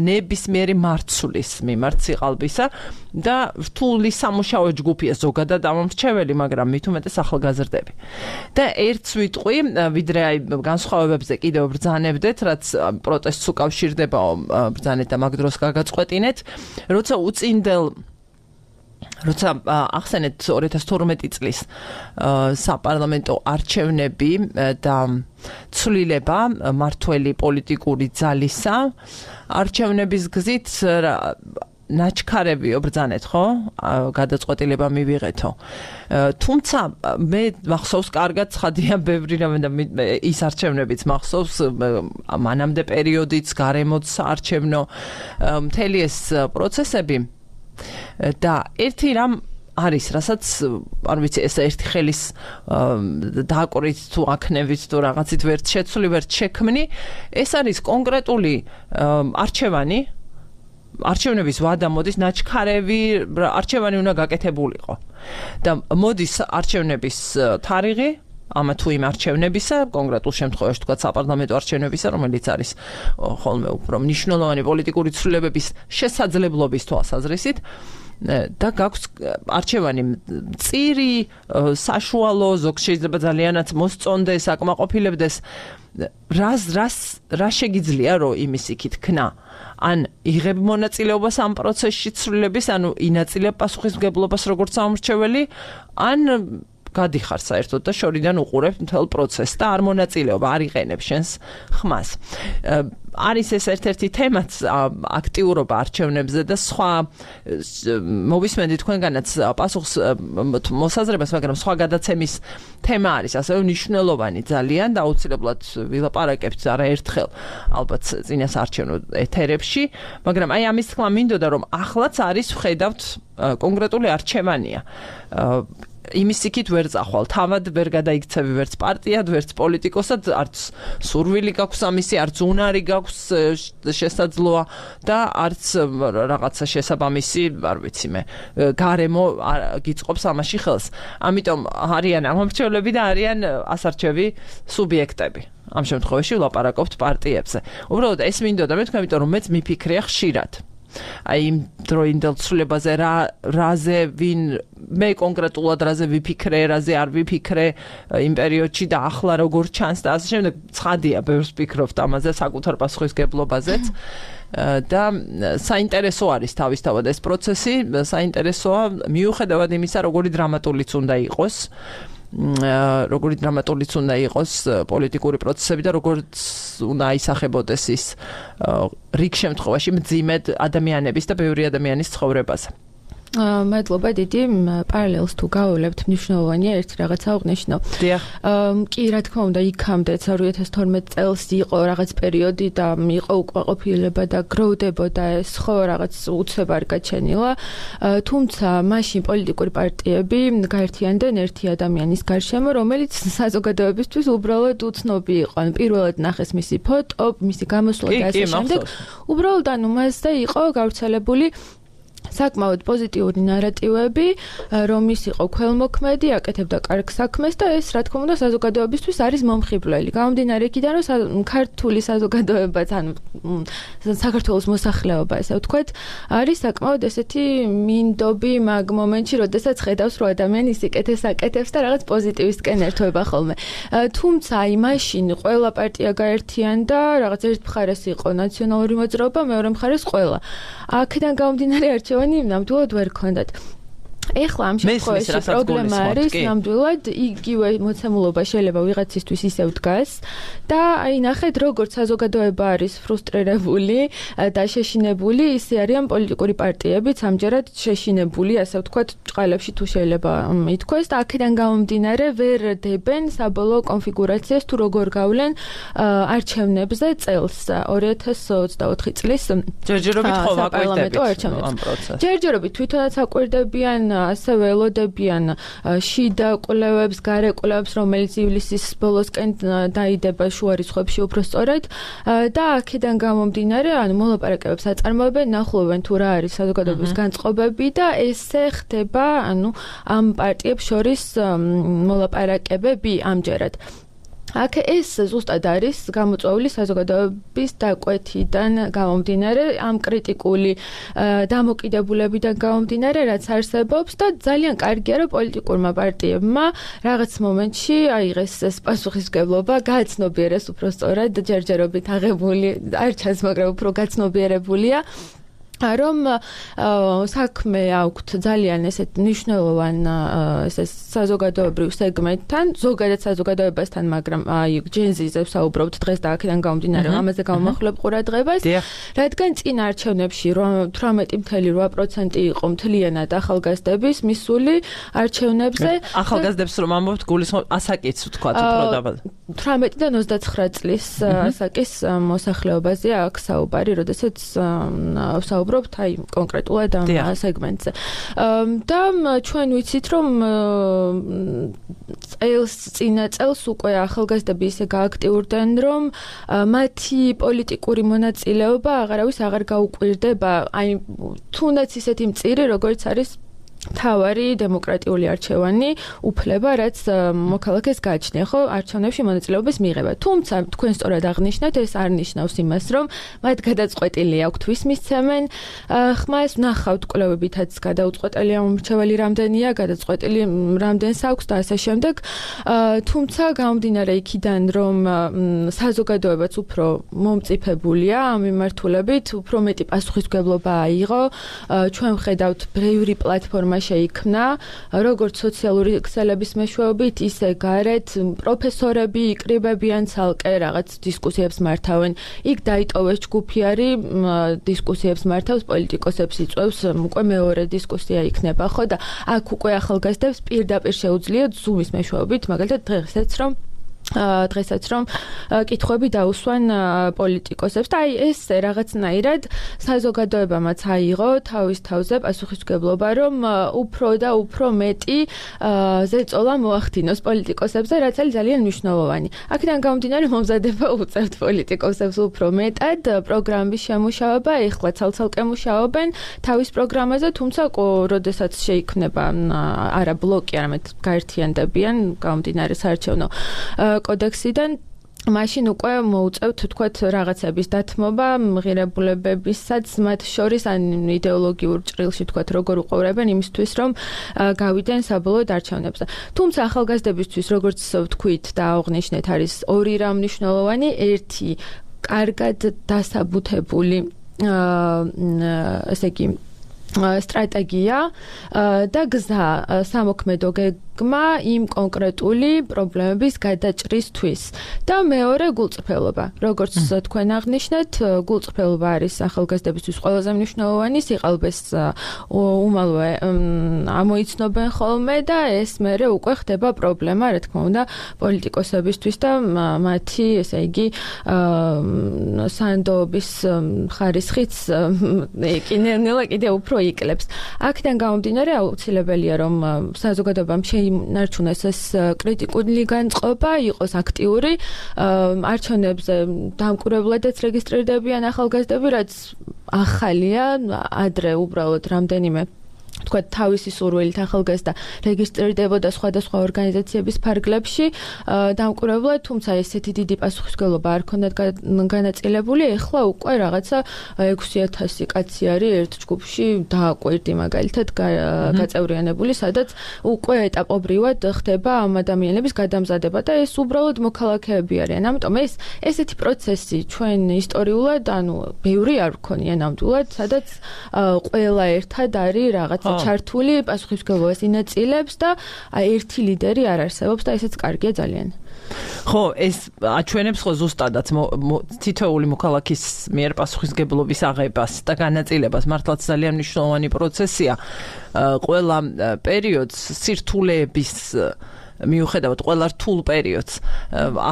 Speaker 1: ნებისმიერი მარცვლის მიმართ სიყალბისა და რთული სამუშაო ჯგუფია ზოგადად ამომრჩეველი, მაგრამ მით უმეტეს ახალგაზრდები. და ერთს ვიტყვი, ვიდრე აი განსხვავებებზე კიდევ ბრძანებდეთ, რაც პროტესტს უკავშირდება ბრძანეთ და მაგ დროს გაგაწყვეტინეთ, როცა უწინდელ როცა ახსენეთ ორი ათას თორმეტი წლის საპარლამენტო არჩევნები და ცვლილება მართველი პოლიტიკური ძალისა, არჩევნების გზით ნაჩქარებიო ბრძანეთ, ხო? გადაწყვეტილება მივიღეთო. თუმცა მე მახსოვს კარგად ცხადია ბევრი რამე და ის არჩევნებიც მახსოვს, მანამდე პერიოდიც, გარემოც არჩევნო, მთელი ეს პროცესები და ერთი რამ არის, რასაც არ ვიცი, ეს ერთი ხელის დააკვრით თუ აქნევით თუ რაღაცით ვერც შეცვლი, ვერც შექმნი, ეს არის კონკრეტული არჩევანი, არჩევნების ვადა მოდის ნაჩქარევი არჩევანი უნდა გაკეთებულიყო. და მოდის არჩევნების თარიღი ამა თუ იმ არჩევნებისა, კონკრეტულ შემთხვევაში თქვა საპარლამენტო არჩევნებისა, რომელიც არის ხოლმე უფრო მნიშვნელოვანი პოლიტიკური ცვლილებების შესაძლებლობის თვალსაზრისით და გაქვს არჩევანი წირი, საშუალო, ზოგ შეიძლება ძალიანაც მოსწონდეს, აკმაყოფილებდეს, რას რას რა შეგიძლია რომ იმის იქით ქნა ან იღებ მონაწილეობას ამ პროცესში ცვლილების, ანუ ინაწილებ პასუხისმგებლობას როგორც სამრჩეველი, ან გადიხარ საერთოდ და შორიდან უყურებ მთელ პროცესს და არ მონაწილეობა, არ იყენებ შენს ხმას. არის ეს ერთ-ერთი თემაც აქტიურობა არჩევნებზე და სხვა მოვისმენთ თქვენგანაც პასუხს მოსაზრებას, მაგრამ სხვა გადაცემის თემა არის ასევე მნიშვნელოვანი ძალიან და აუცილებლად ვილაპარაკებთ არაერთხელ ალბათ წინას არჩევნო ეთერებში, მაგრამ აი ამის თქმა მინდოდა რომ ახლაც არის ვხედავთ კონკრეტული არჩევანია. იმის იქით ვერ წახვალ, თავად ვერ გადაიქცევი ვერც პარტიად, ვერც პოლიტიკოსად, არც სურვილი გაქვს ამისი, არც უნარი გაქვს შესაძლოა და არც რაღაცა შესაბამისი, არ ვიცი მე, გარემო გიწყობს ამაში ხელს. ამიტომ არიან ამომრჩევლები და არიან ასარჩევი სუბიექტები. ამ შემთხვევაში ვლაპარაკობთ პარტიებზე. უბრალოდ ეს მინდოდა მე თქვა, იმიტომ რომ მეც მიფიქრია ხშირად. აი იმ დროინდელ ცვლილებაზე რა რაზე ვინ მე კონკრეტულად რაზე ვიფიქრე, რაზე არ ვიფიქრე იმ პერიოდში და ახლა როგორ ჩანს და ასე შემდეგ. ცხადია, ბევრს ვფიქრობთ ამაზე, საკუთარ პასუხისგებლობაზეც და საინტერესო არის თავისთავად ეს პროცესი, საინტერესოა მიუხედავად იმისა, როგორი დრამატულიც უნდა იყოს. როგორი დრამატულიც უნდა იყოს პოლიტიკური პროცესები და როგორც უნდა აისახებოდეს ის რიგ შემთხვევაში მძიმედ ადამიანების და ბევრი ადამიანის ცხოვრებაზე.
Speaker 2: მადლობა დიდი, პარალელს თუ გავულებთ, მნიშვნელოვანია ერთი რაღაცა აღნიშნო. კი, რა თქმა უნდა, იქამდე ორი ათას თორმეტ წელს იყო რაღაც პერიოდი და იყო უკმაყოფილება და გროვდებოდა ეს ხო რაღაც უცებ არ გაჩენილა. თუმცა მაშინ პოლიტიკური პარტიები გაერთიანდნენ ერთი ადამიანის გარშემო, რომელიც საზოგადოებისთვის უბრალოდ უცნობი იყო. პირველად ნახეს მისი ფოტო, მისი გამოსვლა და ასე შემდეგ. უბრალოდ ანუ მასზე იყო გავრცელებული საკმაოდ პოზიტიური ნარატივები, რომ ის იყო ქველმოქმედი, აკეთებდა კარგ საქმეს და ეს რა თქმა უნდა საზოგადოებისთვის არის მომხიბვლელი. გამომდინარე იქიდან, რომ ქართული საზოგადოებაც, ანუ საქართველოს მოსახლეობა, ესე ვთქვათ, არის საკმაოდ ესეთი მინდობი მაგ მომენტში, როდესაც ხედავს, რომ ადამიანი ისიკეთებს, აკეთებს და რაღაც პოზიტივისკენ ერთვება ხოლმე. თუმცა აი მაშინ ყველა პარტია გაერთიანდა, რაღაც ერთ მხარეს იყო ნაციონალური მოძრაობა, მეორე მხარეს ყველა. აქედან გამომდინარე არჩევანი ნამდვილად ვერ ქონდათ. ეხლა ამ შემთხვევაში პრობლემა არის ნამდვილად იგივე მოცემულობა შეიძლება ვიღაცისთვის ისევ დგას და აი ნახეთ როგორც საზოგადოება არის ფრუსტრირებული და შეშინებული, ისე არიან პოლიტიკური პარტიებიც ამჯერად შეშინებული, ასე ვთქვათ, ჭყალებში თუ შეიძლება ითქვას და აქედან გამომდინარე ვერ დებენ საბოლოო კონფიგურაციას თუ როგორ გავლენ არჩევნებზე წელს ორი ათას ოცდაოთხი წლის
Speaker 1: ჯერჯერობით ხო ვაკვირდებით ამ პროცესს.
Speaker 2: ჯერჯერობით თვითონაც აკვირდებიან ასევე ელოდებიან შიდა კვლევებს, გარე კვლევებს, რომელიც ივლისის ბოლოსკენ დაიდება შუა რიცხვებში უფრო სწორად და აქედან გამომდინარე, ანუ მოლაპარაკებებს აწარმოებენ, ნახულობენ თუ რა არის საზოგადოების განწყობები და ესე ხდება, ანუ ამ პარტიებს შორის მოლაპარაკებები ამჯერად. აქ ეს ზუსტად არის გამოწვეული საზოგადოების დაკვეთიდან გამომდინარე, ამ კრიტიკული დამოკიდებულებიდან გამომდინარე, რაც არსებობს და ძალიან კარგია, რომ პოლიტიკურმა პარტიებმა რაღაც მომენტში აიღეს ეს პასუხისმგებლობა, გააცნობიერეს უფრო სწორად, ჯერჯერობით აღებული, არ ჩანს, მაგრამ უფრო გაცნობიერებულია. რომ საქმე აქვთ ძალიან ესეთ მნიშვნელოვან ესე საზოგადოებრივ სეგმენტთან, ზოგადად საზოგადოებასთან, მაგრამ აი ჯენზიზე ვსაუბრობთ დღეს და აქედან გამომდინარე, ამაზე გამოვახვილებ ყურადღებას, რადგან წინ არჩევნებში თვრამეტი ფاصლე რვა პროცენტი იყო მთლიანად ახალგაზრდების მისული არჩევნებზე.
Speaker 1: ახალგაზრდებს რომ ამბობთ, გულისხმობთ ასაკიც ვთქვათ უფრო დაბალ.
Speaker 2: თვრამეტიდან ოცდაცხრა წლის ასაკის მოსახლეობაზე აქ საუბარი, როდესაც ვსაუბრობთ აი კონკრეტულად ამ სეგმენტზე. და ჩვენ ვიცით რომ წელს წინა წელს უკვე ახალგაზრდები ისე გააქტიურდნენ რომ მათი პოლიტიკური მონაწილეობა აღარავის აღარ გაუკვირდება აი თუნდაც ისეთი მწირი როგორც არის თავარი დემოკრატიული არჩევანი უფლება რაც მოქალაქეს გააჩნია ხო არჩევნებში მონაწილეობის მიღება თუმცა თქვენ სწორად აღნიშნეთ ეს არ ნიშნავს იმას რომ მათ გადაწყვეტილი აქვთ ვის მისცემენ ხმას ნახავთ კვლევებითაც გადაუწყვეტელი ამორჩეველი რამდენია გადაწყვეტილი რამდენს აქვს და ასე შემდეგ თუმცა გამომდინარე იქიდან რომ საზოგადოებაც უფრო მომწიფებულია ამ მიმართულებით უფრო მეტი პასუხისმგებლობა აიღო ჩვენ ვხედავთ ბევრი პლატფორმა შეიქმნა, როგორც სოციალური ქსელების მეშვეობით, ისე გარეთ პროფესორები იკრიბებიან ცალკე რაღაც დისკუსიებს მართავენ. იქ დაიტოვეს ჯგუფი არის დისკუსიებს მართავს, პოლიტიკოსებს იწვევს, უკვე მეორე დისკუსია იქნება, ხო და აქ უკვე ახალგაზრდებს პირდაპირ შეუძლიათ Zoom-ის მეშვეობით, მაგალითად დღესაც რომ დღესაც რომ კითხვები დაუსვან პოლიტიკოსებს და აი ეს რაღაცნაირად საზოგადოებამაც აიღო თავის თავზე პასუხისმგებლობა რომ უფრო და უფრო მეტი ზეწოლა მოახდინოს პოლიტიკოსებზე რაც არის ძალიან მნიშვნელოვანი. აქედან გამომდინარე მომზადება უწევთ პოლიტიკოსებს უფრო მეტად პროგრამის შემუშავება ეხლა ცალ-ცალკე მუშაობენ თავის პროგრამაზე თუმცა როდესაც შეიქმნება არა ბლოკი არამედ გაერთიანდებიან გამომდინარე საარჩევნო კოდექსიდან მაშინ უკვე მოუწევთ თქვათ რაღაცების დათმობა მღირებულებებისაც მათ შორის ან იდეოლოგიურ ჭრილში თქვათ როგორ უყურებენ იმისთვის რომ გავიდნენ საბოლოო არჩევნებზე. თუმცა ახალგაზრდებისთვის როგორც ვთქვით და აღნიშნეთ არის ორი რამ მნიშვნელოვანი ერთი კარგად დასაბუთებული ესე იგი სტრატეგია და გზა სამოქმედო გეგმა იმ კონკრეტული პრობლემების გადაჭრისთვის და მეორე გულწრფელობა. როგორც თქვენ აღნიშნეთ, გულწრფელობა არის ახალგაზრდებისთვის ყველაზე მნიშვნელოვანი, სიყალბეს უმალვე ამოიცნობენ ხოლმე და ეს მერე უკვე ხდება პრობლემა, რა თქმა უნდა, პოლიტიკოსებისთვის და მათი, ესე იგი, სანდოობის ხარისხიც კიდევ კიდევ უფრო იკლებს. აქედან გამომდინარე აუცილებელია რომ საზოგადოებამ შეინარჩუნოს ეს კრიტიკული განწყობა, იყოს აქტიური, არჩევნებზე დამკვირვებლებადაც რეგისტრირდებიან ახალგაზრდები, რაც ახალია, ადრე უბრალოდ რამდენიმე თქვა თავისი სურვილით ახალგაზრდა რეგისტრირდებოდა სხვადასხვა ორგანიზაციების ფარგლებში დამკვირვებლად, თუმცა ესეთი დიდი პასუხისმგებლობა არ ქონდათ განაწილებული, ეხლა უკვე რაღაცა ექვსი ათასი კაცი არის ერთ ჯგუფში დააკვირდი მაგალითად გაწევრიანებული, სადაც უკვე ეტაპობრივად ხდება ამ ადამიანების გადამზადება და ეს უბრალოდ მოქალაქეები არიან. ამიტომ ეს ესეთი პროცესი ჩვენ ისტორიულად, ანუ ბევრი არ ვქონია ნამდვილად, სადაც ყველა ერთად არის რაღაც ჩართული პასუხისმგებლობას ინაწილებს და ერთი ლიდერი არ არსებობს და ესეც კარგია ძალიან.
Speaker 1: ხო, ეს აჩვენებს ხო ზუსტადაც თითოეული მოქალაქის მიერ პასუხისმგებლობის აღებას და განაწილებას მართლაც ძალიან მნიშვნელოვანი პროცესია. ყველა პერიოდს სირთულეების მიუხედავად ყველა რთულ პერიოდს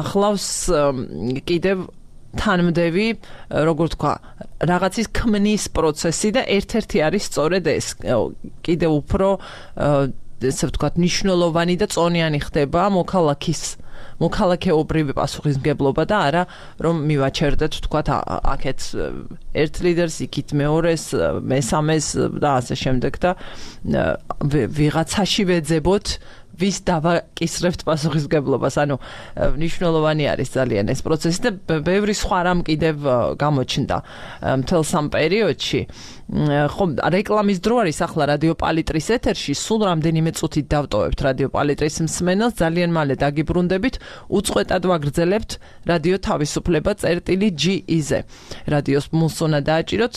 Speaker 1: ახლავს კიდევ თანმდევი, როგორ თქვა, რაღაცის ქმნის პროცესი და ერთ-ერთი არის სწორედ ეს. კიდევ უფრო ესე ვთქვათ, მნიშვნელოვანი და წონიანი ხდება მოქალაქის მოქალაქეობრივი პასუხისმგებლობა და არა რომ მივაჩერდეთ თქვათ აქეთ ერთ ლიდერს, იქით მეორეს, მესამეს და ასე შემდეგ და ვიღაცაში ვეძებოთ ვის დავაკისრებთ პასუხისმგებლობას. ანუ მნიშვნელოვანი არის ძალიან ეს პროცესი და ბევრი სხვა რამ კიდევ გამოჩნდა მთელ სამ პერიოდში. ხო, რეკლამის დრო არის ახლა რადიო პალიტრის ეთერში, სულ რამდენიმე წუთით დავტოვებთ რადიო პალიტრის მსმენელს, ძალიან მალე დაგიბრუნდებით, უწყვეტად ვაგრძელებთ რადიო თავისუფლება წერტილი ჯი ი-ზე. რადიოს მუსონა დააჭიროთ,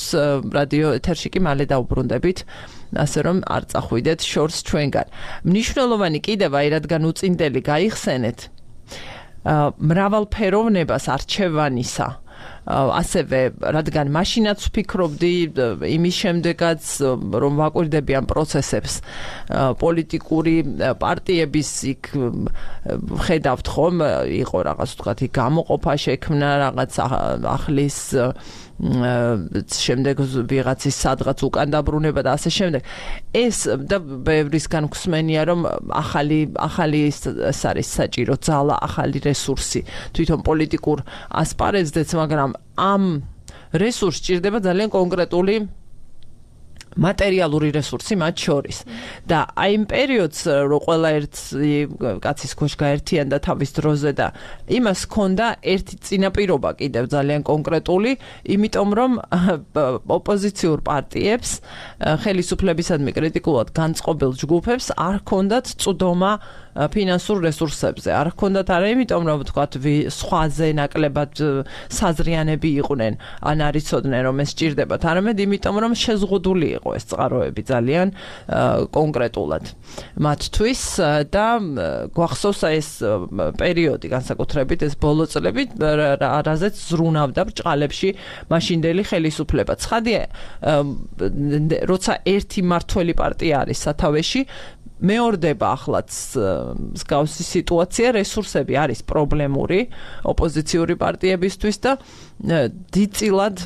Speaker 1: რადიო ეთერში კი მალე დავბრუნდებით. ასე რომ არ წახვიდეთ შორს ჩვენგან. მნიშვნელოვანი კიდევ აი რადგან უწინდელი გაიხსენეთ მრავალფეროვნებას არჩევანისა. ასევე რადგან მაშინაც ვფიქრობდი იმის შემდეგაც რომ ვაკვირდები ამ პროცესებს პოლიტიკური პარტიების იქ ხედავთ ხომ იყო რაღაც თქვათ გამოყოფა შექმნა რაღაც ახლის შემდეგ ვიღაცის სადღაც უკან დაბრუნება და ასე შემდეგ. ეს და ბევრისგან გვსმენია, რომ ახალი ახალი ეს არის საჭირო ძალა, ახალი რესურსი თვითონ პოლიტიკურ ასპარეზზეც, მაგრამ ამ რესურსს ჭირდება ძალიან კონკრეტული მატერიალური რესურსი მათ შორის. და აი იმ პერიოდს რო ყველა ერთი კაცის ქვეშ გაერთიანდა თავის დროზე და იმას ჰქონდა ერთი წინაპირობა კიდევ ძალიან კონკრეტული, იმიტომ რომ ოპოზიციურ პარტიებს, ხელისუფლებისადმი კრიტიკულად განწყობილ ჯგუფებს არ ჰქონდათ წვდომა ფინანსურ რესურსებზე. არ ჰქონდათ არა იმიტომ რომ ვთქვათ სხვაზე ნაკლებად საზრიანები იყვნენ, ან არ იცოდნენ რომ ეს სჭირდებათ, არამედ იმიტომ რომ შეზღუდული იყო ეს წყაროები ძალიან კონკრეტულად მათთვის და გვახსოვს ეს პერიოდი განსაკუთრებით ეს ბოლო წლები, რაზეც ზრუნავდა ბრჭყალებში მაშინდელი ხელისუფლება. ცხადია, როცა ერთი მმართველი პარტია არის სათავეში, მეორდება ახლაც მსგავსი სიტუაცია, რესურსები არის პრობლემური ოპოზიციური პარტიებისთვის და დიდწილად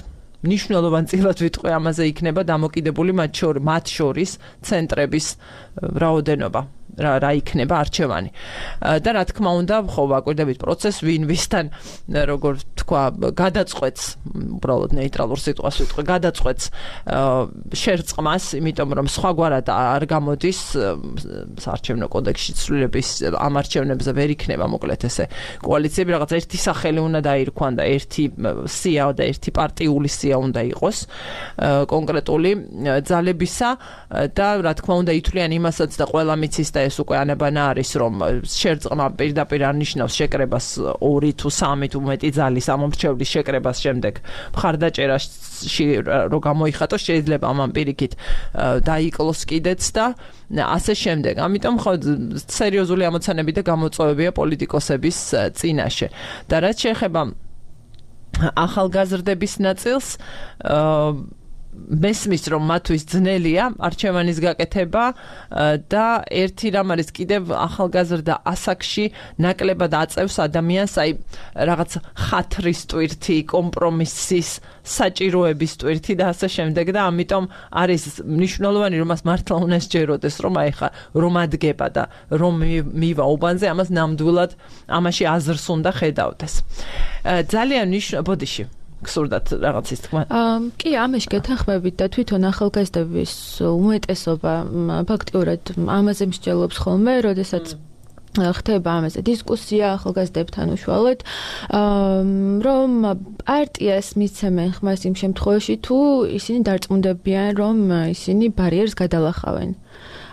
Speaker 1: მნიშვნელოვან წილად ვიტყვი ამაზე იქნება დამოკიდებული მათ შორის ცენტრების რაოდენობა. რა რა იქნება არჩევანი. და რა თქმა უნდა, ხო ვაკვირდებით პროცესს, ვინ ვისთან როგორ თქვა, გადაწყვეტს, უბრალოდ ნეიტრალურ სიტყვას ვიტყვი, გადაწყვეტს შერწყმას, იმიტომ რომ სხვაგვარად არ გამოდის საარჩევნო კოდექსში ცვლილების ამ არჩევნებზე ვერ იქნება მოკლედ ესე კოალიციები, რაღაც ერთი სახელი უნდა დაირქვან და ერთი სია და ერთი პარტიული სია უნდა იყოს კონკრეტული ძალებისა და რა თქმა უნდა ითვლიან იმასაც და ყველა მიცის და ეს უკვე ანაბანა არის, რომ შერწყმა პირდაპირ არნიშნავს შეკრებას ორი თუ სამი თუ მეტი ძალის ამომრჩევლის შეკრებას შემდეგ მხარდაჭერაში რო გამოიხატოს, შეიძლება ამან პირიქით დაიკლოს კიდეც და ასე შემდეგ. ამიტომ ხო სერიოზული ამოცანები და გამოწვევებია პოლიტიკოსების წინაშე. და რაც შეეხება ახალგაზრდების ნაწილს, მესმის რომ მათთვის ძნელია არჩევანის გაკეთება და ერთი რამ არის კიდევ ახალგაზრდა ასაკში ნაკლებად აწევს ადამიანს აი რაღაც ხათრის ტვირთი, კომპრომისის საჭიროების ტვირთი და ასე შემდეგ და ამიტომ არის მნიშვნელოვანი რომ მას მართლა უნდა სჯეროდეს რომ აი ხა რომ ადგება და რომ მივა უბანზე, ამას ნამდვილად ამაში აზრს უნდა ხედავდეს. ძალიან მნიშვნელოვანი ბოდიში გსურდათ რაღაცის თქმა.
Speaker 2: კი, ამაში გეთანხმებით და თვითონ ახალგაზრდების უმეტესობა ფაქტიურად ამაზე მსჯელობს ხოლმე, როდესაც ხდება ამაზე დისკუსია ახალგაზრდებთან უშუალოდ, რომ პარტიას მიცემენ ხმას იმ შემთხვევაში, თუ ისინი დარწმუნდებიან, რომ ისინი ბარიერს გადალახავენ.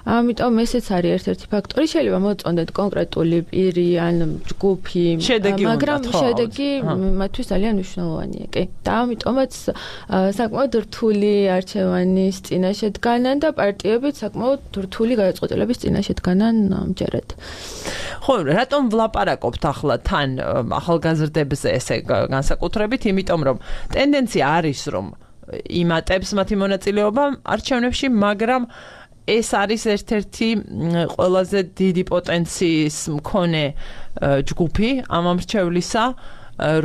Speaker 2: ამიტომ ესეც არის ერთ-ერთი ფაქტორი, შეიძლება მოწონდეთ კონკრეტული პირი ან ჯგუფი, მაგრამ შედეგი მათთვის ძალიან მნიშვნელოვანია, კი. და ამიტომაც საკმაოდ რთული არჩევანის წინაშე დგანან და პარტიებიც საკმაოდ რთული გადაწყვეტილების წინაშე დგანან ამჯერად.
Speaker 1: ხო, რატომ ვლაპარაკობთ ახლა თან ახალგაზრდებზე ესე განსაკუთრებით, იმიტომ რომ ტენდენცია არის, რომ იმატებს მათი მონაწილეობა არჩევნებში, მაგრამ ეს არის ერთ-ერთი ყველაზე დიდი პოტენციის მქონე ჯგუფი ამ ამრჩევლისა,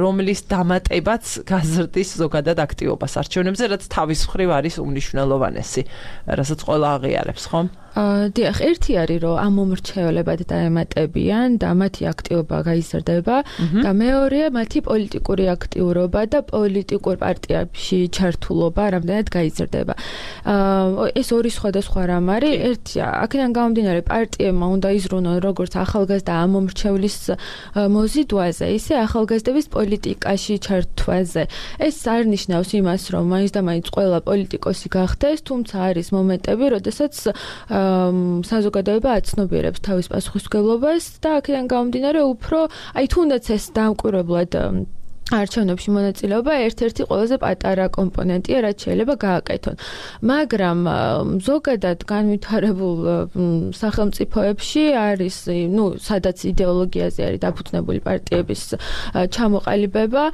Speaker 1: რომლის დამატებაც გაზრდის ზოგადად აქტივობას არჩევნებზე, რაც თავის მხრივ არის უმნიშვნელოვანესი, რასაც ყველა აღიარებს, ხო?
Speaker 2: დიახ, ერთი არის, რომ ამ მომრჩეველებად დაემატებიან და მათი აქტივობა გაიზრდება და მეორეა მათი პოლიტიკური აქტიურობა და პოლიტიკურ პარტიებში ჩართულობა რამდენად გაიზრდება. ეს ორი სხვადასხვა რამ არის. ერთია, აქედან გამომდინარე პარტიებმა უნდა იზრუნონ როგორც ახალგაზრდა ამ მომრჩევლის მოზიდვაზე, ისე ახალგაზრდების პოლიტიკაში ჩართვაზე. ეს არ ნიშნავს იმას, რომ მაინც და მაინც ყველა პოლიტიკოსი გახდეს, თუმცა არის მომენტები, როდესაც საზოგადოება აცნობიერებს თავის პასუხისმგებლობას და აქედან გამომდინარე უფრო, აი თუნდაც ეს დამკვირვებლად არჩევნებში მონაწილეობა ერთ-ერთი ყველაზე პატარა კომპონენტია, რაც შეიძლება გააკეთონ. მაგრამ ზოგადად განვითარებულ სახელმწიფოებში არის, ну, სადაც იდეოლოგიაზე არის დაფუძნებული პარტიების ჩამოყალიბება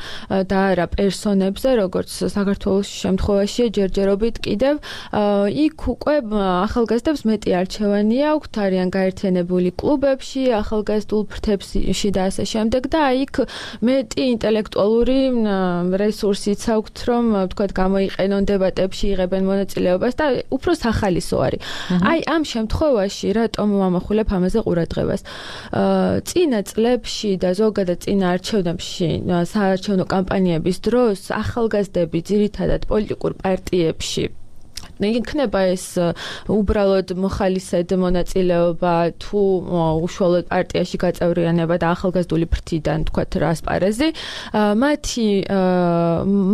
Speaker 2: და არა პერსონებზე, როგორც საქართველოს შემთხვევაში ჯერჯერობით კიდევ იქ უკვე ახალგაზრდებს მეტი არჩევანი აქვთ, არიან გაერთიანებული კლუბებში, ახალგაზრდულ ფრთებში და ასე შემდეგ და იქ მეტი ინტელექტუალური ინტელექტუალური რესურსიც აქვთ, რომ თქვათ გამოიყენონ დებატებში, იღებენ მონაწილეობას და უფრო სახალისო არის. აი ამ შემთხვევაში რატომ ვამახვილებ ამაზე ყურადღებას? წინა წლებში და ზოგადად წინა არჩევნებში, საარჩევნო კამპანიების დროს ახალგაზრდები ძირითადად პოლიტიკურ პარტიებში იქნება ეს უბრალოდ მოხალისედ მონაწილეობა თუ უშუალოდ პარტიაში გაწევრიანება და ახალგაზრდული ფრთიდან თქვათ ასპარეზი, მათი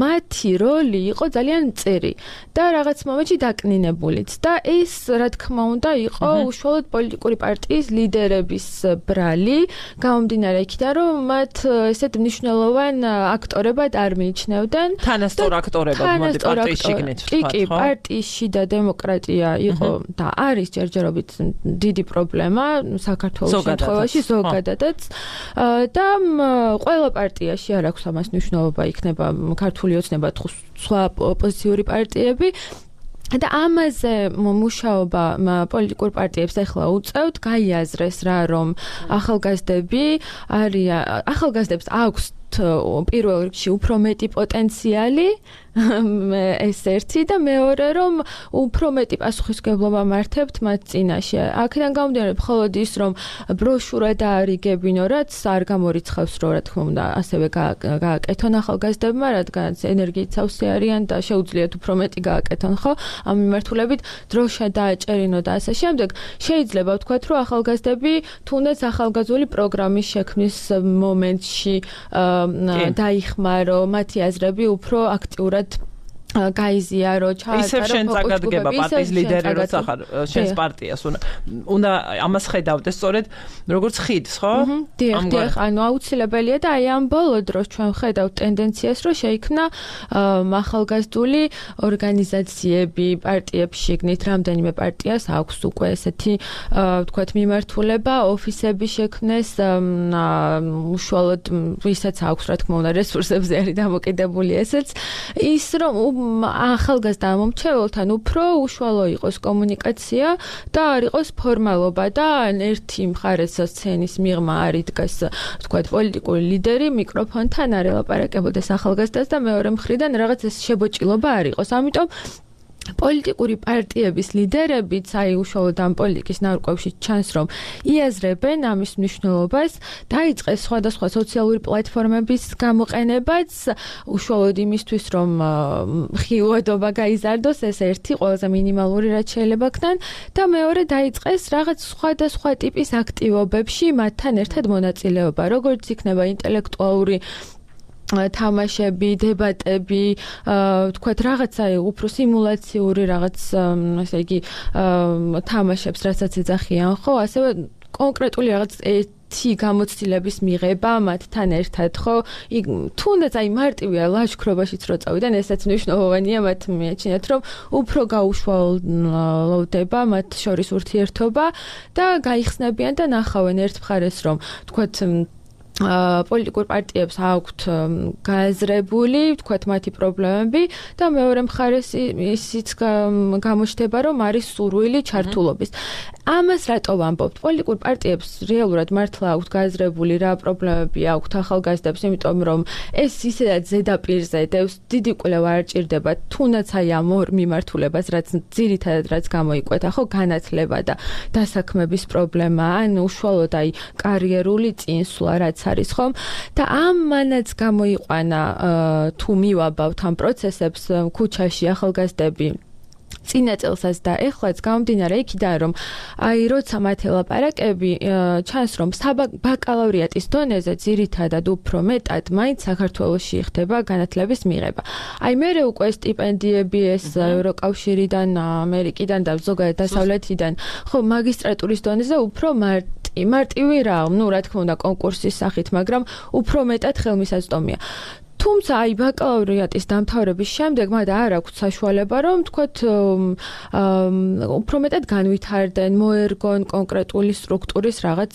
Speaker 2: მათი როლი იყო ძალიან მწირი და რაღაც მომენტში დაკნინებულიც და ეს რა თქმა უნდა იყო უშუალოდ პოლიტიკური პარტიის ლიდერების ბრალი, გამომდინარე იქიდან რომ მათ ესეთ მნიშვნელოვან აქტორებად არ მიიჩნევდნენ.
Speaker 1: თანასწორ აქტორებად მოდი პარტიის შიგნით ვთქვათ,
Speaker 2: კი, პარტიის შიდა დემოკრატია იყო და არის ჯერჯერობით დიდი პრობლემა საქართველოს შემთხვევაში ზოგადადაც და ყველა პარტიაში არ აქვს ამას მნიშვნელობა, იქნება ქართული ოცნება თუ სხვა ოპოზიციური პარტიები და ამაზე მუშაობა პოლიტიკურ პარტიებს ახლა უწევთ, გაიაზრეს რა რომ ახალგაზრდები არიან, ახალგაზრდებს აქვს პირველ რიგში უფრო მეტი პოტენციალი ეს ერთი და მეორე რომ უფრო მეტი პასუხისმგებლობა მართებთ მათ წინაშე. აქედან გამომდინარე მხოლოდ ის რომ ბროშურა დაარიგებინო, რაც არ გამორიცხავს რომ რა თქმა უნდა ასევე გააკეთონ ახალგაზრდებმა, რადგანაც ენერგიით სავსე არიან და შეუძლიათ უფრო მეტი გააკეთონ, ხო? ამ მიმართულებით დროშა დააჭერინო და ასე შემდეგ. შეიძლება ვთქვათ რომ ახალგაზრდები თუნდაც ახალგაზრდული პროგრამის შექმნის მომენტში დაიხმარო, მათი აზრები უფრო აქტიურად გაიზიარო, ჩაატარო.
Speaker 1: ისევ შენ წაგადგება პარტიის ლიდერი, როცა ხარ შენს პარტიას უნდა უნდა ამას ხედავდეს სწორედ როგორც ხიდს, ხო?
Speaker 2: დიახ, დიახ, ანუ აუცილებელია და აი ამ ბოლო დროს ჩვენ ხედავთ ტენდენციას, რომ შეიქმნა ახალგაზრდული ორგანიზაციები პარტიებში შიგნით, რამდენიმე პარტიას აქვს უკვე ესეთი ვთქვათ მიმართულება, ოფისები შექმნეს, უშუალოდ ვისაც აქვს რა თქმა უნდა რესურსებზე არის დამოკიდებული ესეც, ის რომ ახალგაზრდა მომრჩეველთან უფრო უშუალო იყოს კომუნიკაცია და არ იყოს ფორმალობა და ერთი მხარეს სცენის მიღმა არ იდგას თქვათ პოლიტიკური ლიდერი მიკროფონთან არ ელაპარაკებოდეს ახალგაზრდას და მეორე მხრიდან რაღაც ეს შებოჭილობა არ იყოს. ამიტომ პოლიტიკური პარტიების ლიდერებიც აი უშუალოდ ამ პოლიტიკის ნარკვევში ჩანს რომ იაზრებენ ამის მნიშვნელობას, დაიწყეს სხვადასხვა სოციალური პლატფორმების გამოყენებაც უშუალოდ იმისთვის რომ ხილვადობა გაიზარდოს, ეს ერთი ყველაზე მინიმალური რაც შეიძლება ქნან და მეორე დაიწყეს რაღაც სხვადასხვა ტიპის აქტივობებში მათთან ერთად მონაწილეობა, როგორც იქნება ინტელექტუალური თამაშები, დებატები, თქვათ რაღაცა უფრო სიმულაციური რაღაც, ასე იგი, თამაშებს, რასაც ეძახიან, ხო, ასევე კონკრეტული რაღაც ერთი გამოცდილების მიღება მათთან ერთად, ხო? თუნდაც აი მარტივია ლაშქრობაშიც რო წავიდან, ესაც მნიშვნელოვანია, მათ მიაჩნიათ, რომ უფრო გაუშვალდება მათ შორის ურთიერთობა და გაიხსნებიან და ნახავენ ერთ მხარეს, რომ თქვათ პოლიტიკურ პარტიებს აქვთ გააზრებული, თქვათ მათი პრობლემები და მეორე მხარეს ისიც გამოჩნდება, რომ არის სურვილი ჩართულობის. ამას რატო ვამბობთ? პოლიტიკურ პარტიებს რეალურად მართლა აქვთ გააზრებული რა პრობლემები აქვთ ახალგაზრდებს, იმიტომ რომ ეს ისედაც ზედაპირზე დევს, დიდი კვლევა არ ჭირდება, თუნდაც აი ამ ორ მიმართულებას, რაც ძირითადად რაც გამოიკვეთა, ხო, განათლება და დასაქმების პრობლემა, ან უშუალოდ აი კარიერული წინსვლა, რაც არის ხომ და ამანაც გამოიყვანა თუ მივაბავთ ამ პროცესებს ქუჩაში ახალგაზრდები წინა წელსაც და ეხლაც გამომდინარე იქიდან რომ აი როცა მათ ელაპარაკები ჩანს რომ ბაკალავრიატის დონეზე ძირითადად უფრო მეტად მაინც საქართველოში ხდება განათლების მიღება. აი მე უკვე სტიპენდიები ეს ევროკავშირიდან, ამერიკიდან და ზოგადად დასავლეთიდან ხო მაგისტრატურის დონეზე უფრო მარტი მარტივი რა, ну რა თქმა უნდა კონკურსის სახით, მაგრამ უფრო მეტად ხელმისაწვდომია. თუმცა აი ბაკალავრიატის დამთავრების შემდეგ მათ არ აქვთ საშუალება რომ თქვათ უფრო მეტად განვითარდნენ, მოერგონ კონკრეტული სტრუქტურის რაღაც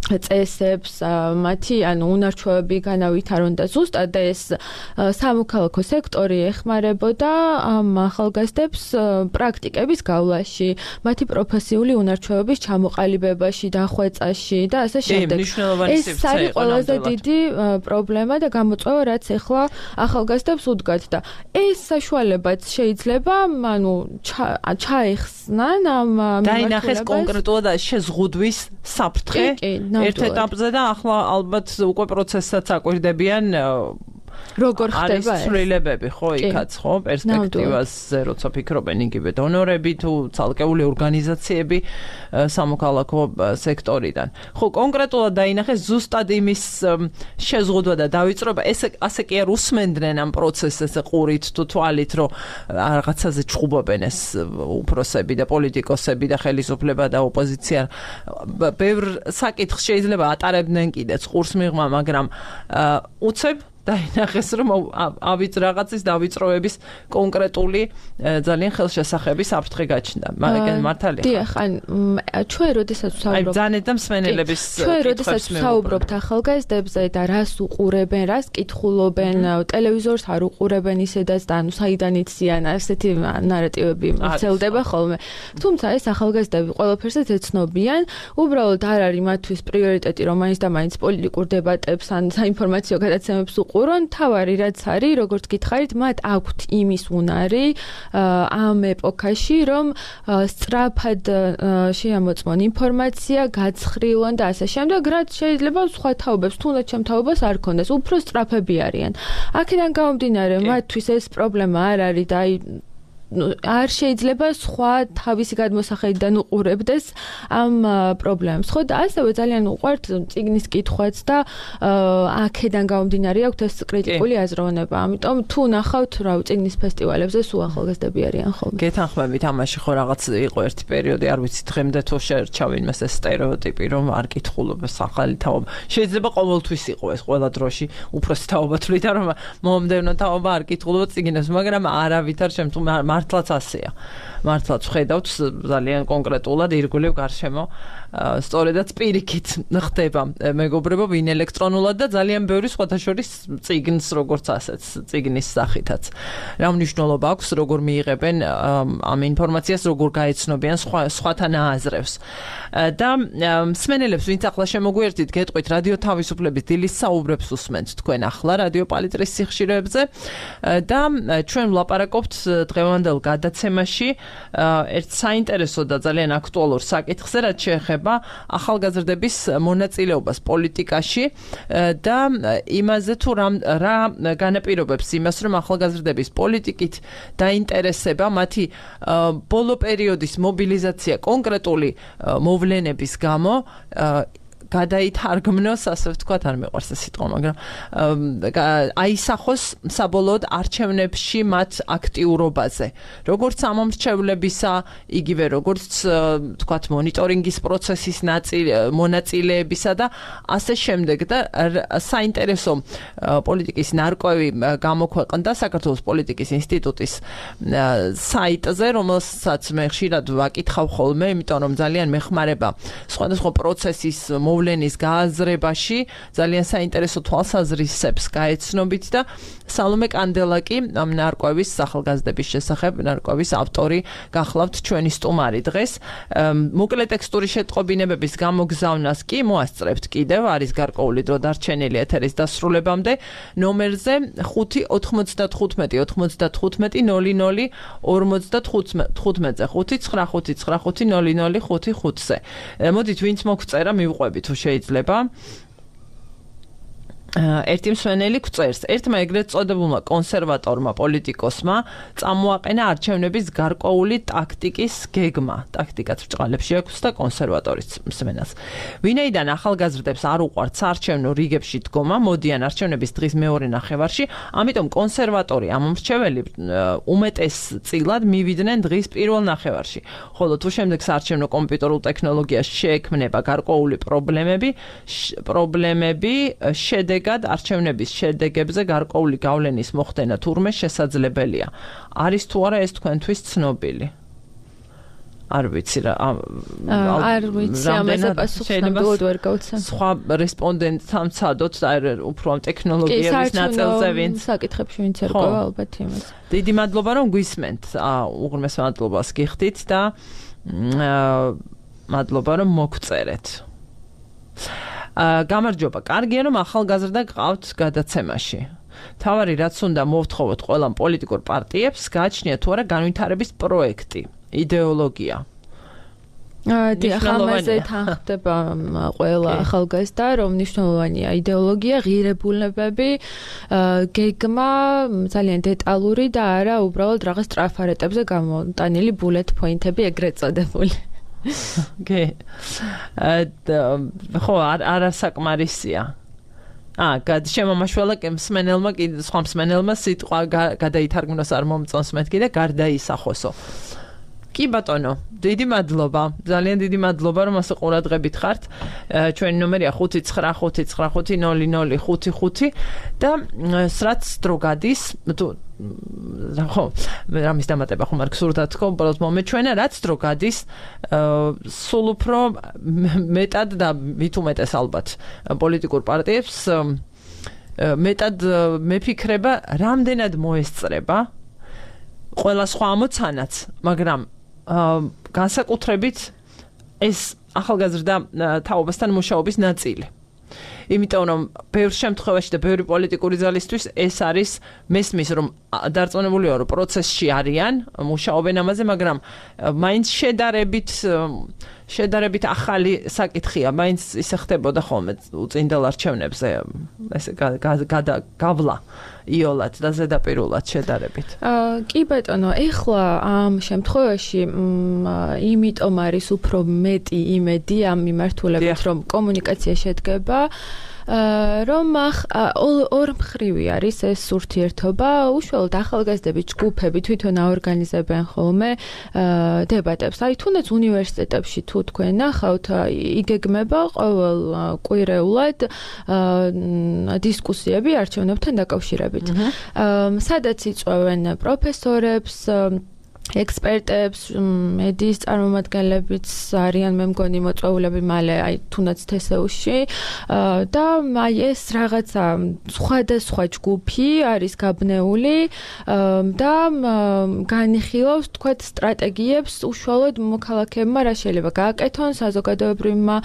Speaker 2: წესებს, მათი ანუ უნარჩვევები განავითარონ და ზუსტად ეს სამოქალაქო სექტორი ეხმარებოდა ამ ახალგაზრდებს პრაქტიკების გავლაში, მათი პროფესიული უნარჩვევების ჩამოყალიბებაში, დახვეწაში და ასე შემდეგ. ეს არის ყველაზე დიდი პრობლემა და გამოწვევა, რაც ეხლა ახალგაზრდებს უდგათ და ეს საშუალებაც შეიძლება, ანუ ჩაეხსნან ამ
Speaker 1: დაინახეს კონკრეტულად შეზღუდვის საფრთხე ერთ ეტაპზე და ახლა ალბათ უკვე პროცესსაც აკვირდებიან
Speaker 2: როგორ ხდება
Speaker 1: ეს ცვლილებები ხო იქაც ხო პერსპექტივაზე როცა ფიქრობენ იგივე დონორები თუ ცალკეული ორგანიზაციები სამოქალაქო სექტორიდან ხო კონკრეტულად დაინახეს ზუსტად იმის შეზღუდვა და დავიწყება ესე ასე კი არ უსმენდნენ ამ პროცესს ყურით თუ თვალით რომ რაღაცაზე ჩხუბობენ ეს უფროსები და პოლიტიკოსები და ხელისუფლება და ოპოზიცია ბევრ საკითხს შეიძლება ატარებდნენ კიდეც ყურს მიღმა მაგრამ უცებ დაინახეს რომ ავიც რაღაცის დავიწროების კონკრეტული ძალიან ხელშესახები საფრთხე გაჩნდა. მაგრამ მართალია.
Speaker 2: დიახ, ან ჩვენ როდესაც ვსაუბრობთ
Speaker 1: აი ძანეთ და მსმენელების
Speaker 2: ჩვენ როდესაც ვსაუბრობთ ახალგაზრდებზე და რას უყურებენ, რას კითხულობენ, ტელევიზორს არ უყურებენ ისედაც და ანუ საიდან იციან ასეთი ნარატივები მცელდება ხოლმე. თუმცა ეს ახალგაზრდები ყველაფერსაც ეცნობიან, უბრალოდ არ არის მათთვის პრიორიტეტი რომ მაინც და მაინც პოლიტიკურ დებატებს ან საინფორმაციო გადაცემებს უყურონ, თავარი რაც არის, როგორც გითხარით, მათ აქვთ იმის უნარი ამ ეპოქაში, რომ სწრაფად შეამოწმონ ინფორმაცია, გაცხრილონ და ასე შემდეგ, რაც შეიძლება სხვა თაობებს, თუნდაც ჩემ თაობას არ ქონდეს, უფრო სწრაფები არიან. აქედან გამომდინარე, მათთვის ეს პრობლემა არ არის და აი არ შეიძლება სხვა თავისი გადმოსახედიდან უყურებდეს ამ პრობლემებს. ხო და ასევე ძალიან უყვართ წიგნის კითხვაც და აქედან გამომდინარე აქვს ეს კრიტიკული აზროვნება. ამიტომ თუ ნახავთ რა წიგნის ფესტივალებზე სულ ახალგაზრდები არიან ხოლმე.
Speaker 1: გეთანხმებით ამაში ხო რაღაც იყო ერთი პერიოდი, არ ვიცი დღემდე თუ შეერჩავენ მას ეს სტერეოტიპი რომ არ კითხულობს ახალი თაობა. შეიძლება ყოველთვის იყო ეს ყველა დროში უფროსი თაობა თვლიდა რომ მომდევნო თაობა არ კითხულობს წიგნებს, მაგრამ არავითარ შემთხვევაში მართლაც ასეა. მართლაც ვხედავთ ძალიან კონკრეტულად ირგვლივ გარშემო სწორედაც პირიქით ხდება მეგობრებო ვინ ელექტრონულად და ძალიან ბევრი სხვათა შორის წიგნს როგორც ასეც წიგნის სახითაც. რა მნიშვნელობა აქვს როგორ მიიღებენ ამ ინფორმაციას როგორ გაეცნობიან სხვა სხვათა ნააზრევს. და მსმენელებს ვინც ახლა შემოგვიერთით გეტყვით რადიო თავისუფლების დილის საუბრებს უსმენთ თქვენ ახლა რადიო პალიტრის სიხშირეებზე და ჩვენ ვლაპარაკობთ დღევანდელ გადაცემაში ერთ საინტერესო და ძალიან აქტუალურ საკითხზე რაც შეეხება ახალგაზრდების მონაწილეობას პოლიტიკაში და იმაზე თუ რა განაპირობებს იმას რომ ახალგაზრდების პოლიტიკით დაინტერესება მათი ბოლო პერიოდის მობილიზაცია კონკრეტული მოვლენების გამო გადაითარგმნოს, ასე ვთქვათ, არ მეყვარს ეს სიტყვა, მაგრამ აისახოს საბოლოოდ არჩევნებში მათ აქტიურობაზე. როგორც ამომრჩევლებისა, იგივე როგორც ვთქვათ, მონიტორინგის პროცესის მონაწილეებისა და ასე შემდეგ და საინტერესო პოლიტიკის ნარკვევი გამოქვეყნდა საქართველოს პოლიტიკის ინსტიტუტის საიტზე, რომელსაც მე ხშირად ვაკითხავ ხოლმე, იმიტომ რომ ძალიან მეხმარება სხვადასხვა პროცესის მოვლენის გააზრებაში ძალიან საინტერესო თვალსაზრისებს გაეცნობით და სალომე კანდელაკი ამ ნარკვევის ახალგაზრდების შესახებ ნარკვევის ავტორი გახლავთ ჩვენი სტუმარი დღეს. მოკლე ტექსტური შეტყობინებების გამოგზავნას კი მოასწრებთ კიდევ არის გარკვეული დრო დარჩენილი ეთერის დასრულებამდე ნომერზე ხუთი ოთხმოცდათხუთმეტი ოთხმოცდათხუთმეტი ნოლი ნოლი ორმოცდათხუთმეტზე ხუთი ცხრა ხუთი ცხრა ხუთი ნოლი ნოლი ხუთი ხუთზე. მოდით ვინც მოგწერა მივყვები თუ შეიძლება. ერთი მსმენელი გვწერს, ერთმა ეგრეთ წოდებულმა კონსერვატორმა პოლიტიკოსმა წამოაყენა არჩევნების გარკვეული ტაქტიკის გეგმა. ტაქტიკაც ბრჭყალებში აქვს და კონსერვატორის მსმენელს. ვინაიდან ახალგაზრდებს არ უყვართ საარჩევნო რიგებში დგომა, მოდიან არჩევნების დღის მეორე ნახევარში, ამიტომ კონსერვატორი ამომრჩეველი უმეტესწილად მივიდნენ დღის პირველ ნახევარში. ხოლო თუ შემდეგ საარჩევნო კომპიუტერულ ტექნოლოგიაში შეექმნება გარკვეული პრობლემები, პრობლემები შედეგად არჩევნების შედეგებზე გარკვეული გავლენის მოხდენა თურმე შესაძლებელია. არის თუ არა ეს თქვენთვის ცნობილი? არ ვიცი რა
Speaker 2: არ ვიცი ამაზე პასუხს ნამდვილად ვერ გავცემ
Speaker 1: სხვა რესპონდენტთან ვცადოთ უფრო ამ ტექნოლოგიების ნაწილზე ვინც
Speaker 2: საკითხებში ვინც ერგვა ალბათ იმას
Speaker 1: დიდი მადლობა რომ გვისმენთ უღრმეს მადლობას გიხდით და მადლობა რომ მოგწერეთ გამარჯობა კარგია რომ ახალგაზრდა გყავთ გადაცემაში თავარი რაც უნდა მოვთხოვოთ ყველა პოლიტიკურ პარტიებს გააჩნიათ თუ არა განვითარების პროექტი იდეოლოგია
Speaker 2: დიახ ამაზე თანხდება ყველა ახალგაზრდა რომ მნიშვნელოვანია იდეოლოგია ღირებულებები გეგმა ძალიან დეტალური და არა უბრალოდ რაღაც ტრაფარეტებზე გამოტანილი bullet point-ები ეგრეთ წოდებული
Speaker 1: გე ხო არა საკმარისია აა გადაშემომაშველა მსმენელმა კი სხვა მსმენელმა სიტყვა გადაითარგმნოს არ მომწონს მეთქი და გარდაისახოსო კი ბატონო დიდი მადლობა ძალიან დიდი მადლობა რომ ასე ყურადღებით ხართ ჩვენი ნომერია ხუთი ცხრა ხუთი ცხრა ხუთი ნული ნული ხუთი ხუთი და სრაც დრო გადის თუ ხო რამის დამატება ხომ არ გსურდათ თქო უბრალოდ მომეჩვენა რაც დრო გადის სულ უფრო მეტად და მით უმეტეს ალბათ პოლიტიკურ პარტიებს მეტად მეფიქრება რამდენად მოესწრება ყველა სხვა ამოცანაც მაგრამ განსაკუთრებით ეს ახალგაზრდა თაობასთან მუშაობის ნაწილი. იმიტომ რომ ბევრ შემთხვევაში და ბევრი პოლიტიკური ძალისთვის ეს არის მესმის რომ დარწმუნებულია რომ პროცესში არიან, მუშაობენ ამაზე, მაგრამ მაინც შედარებით შედარებით ახალი საკითხია, მაინც ისე ხდებოდა ხოლმე უწინდელ არჩევნებზე ესე გავლა იოლად და ზედაპირულად შედარებით.
Speaker 2: კი ბატონო, ეხლა ამ შემთხვევაში იმიტომ არის უფრო მეტი იმედი ამ მიმართულებით, რომ კომუნიკაცია შედგება რომ ორ მხრივი არის ეს ურთიერთობა, უშუალოდ ახალგაზრდების ჯგუფები თვითონ აორგანიზებენ ხოლმე დებატებს. აი თუნდაც უნივერსიტეტებში თუ თქვენ ნახავთ, იგეგმება ყოველ კვირეულად დისკუსიები არჩევნებთან დაკავშირებით. სადაც იწვევენ პროფესორებს, ექსპერტებს, მედიის წარმომადგენლებიც არიან მე მგონი მოწვეულები მალე აი თუნდაც თესეუში და აი ეს რაღაცა სხვადასხვა ჯგუფი არის გაბნეული და განიხილავს თქვათ სტრატეგიებს უშუალოდ მოქალაქეებმა რა შეიძლება გააკეთონ საზოგადოებრივმა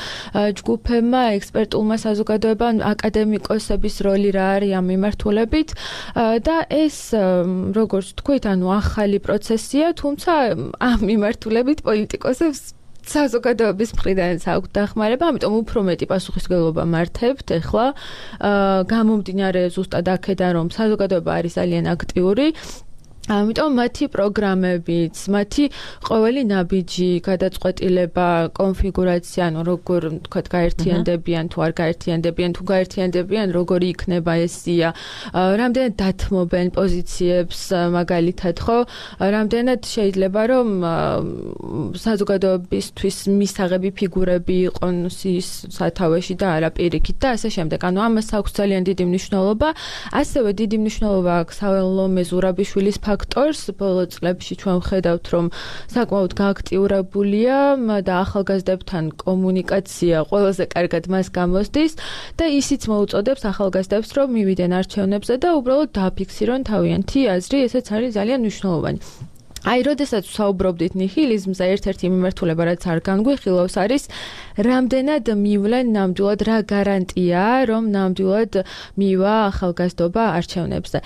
Speaker 2: ჯგუფებმა, ექსპერტულმა საზოგადოებამ, აკადემიკოსების როლი რა არის ამ მიმართულებით და ეს როგორც თქვით, ანუ ახალი პროცესია თუმცა ამ მიმართულებით პოლიტიკოსებს საზოგადოების მხრიდანაც აქვს დახმარება, ამიტომ უფრო მეტი პასუხისმგებლობა მართებთ ეხლა გამომდინარე ზუსტად აქედან რომ საზოგადოება არის ძალიან აქტიური ამიტომ მათი პროგრამებიც, მათი ყოველი ნაბიჯი, გადაწყვეტილება, კონფიგურაცია, ანუ როგორ თქვათ გაერთიანდებიან თუ არ გაერთიანდებიან, თუ გაერთიანდებიან, როგორი იქნება ეს სია, რამდენად დათმობენ პოზიციებს, მაგალითად, ხო? რამდენად შეიძლება რომ საზოგადოებისთვის მისაღები ფიგურები იყონ სიის სათავეში და არა პირიქით და ასე შემდეგ. ანუ ამას აქვს ძალიან დიდი მნიშვნელობა, ასევე დიდი მნიშვნელობა აქვს სალომე ზურაბიშვილის ფაქტორს ბოლო წლებში ჩვენ ვხედავთ რომ საკმაოდ გააქტიურებულია და ახალგაზრდებთან კომუნიკაცია ყველაზე კარგად მას გამოსდის და ისიც მოუწოდებს ახალგაზრდებს რომ მივიდნენ არჩევნებზე და უბრალოდ დააფიქსირონ თავიანთი აზრი, ესეც არის ძალიან მნიშვნელოვანი. აი, როდესაც ვსაუბრობდით ნიჰილიზმზე, ერთ-ერთი მიმართულება, რაც არ განგვიხილავს, არის რამდენად მივლენ ნამდვილად რა გარანტია, რომ ნამდვილად მივა ახალგაზრდობა არჩევნებზე.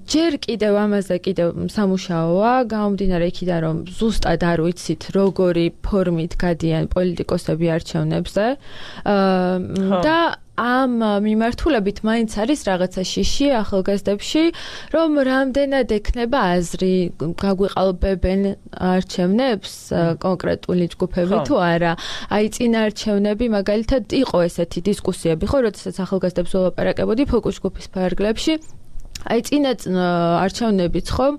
Speaker 2: ჯერ კიდევ ამაზე კიდევ სამუშაოა, გამომდინარე იქიდან, რომ ზუსტად არ ვიცით, როგორი ფორმით გადიან პოლიტიკოსები არჩევნებზე და ამ მიმართულებით მაინც არის რაღაცა შიში ახალგაზრდებში, რომ რამდენად ექნება აზრი, გაგვიყალბებენ არჩევნებს კონკრეტული ჯგუფები თუ არა. აი წინა არჩევნები მაგალითად იყო ესეთი დისკუსიები, ხო, როდესაც ახალგაზრდებს ველაპარაკებოდი ფოკუს ჯგუფის ფარგლებში. აი წინა არჩევნებიც ხომ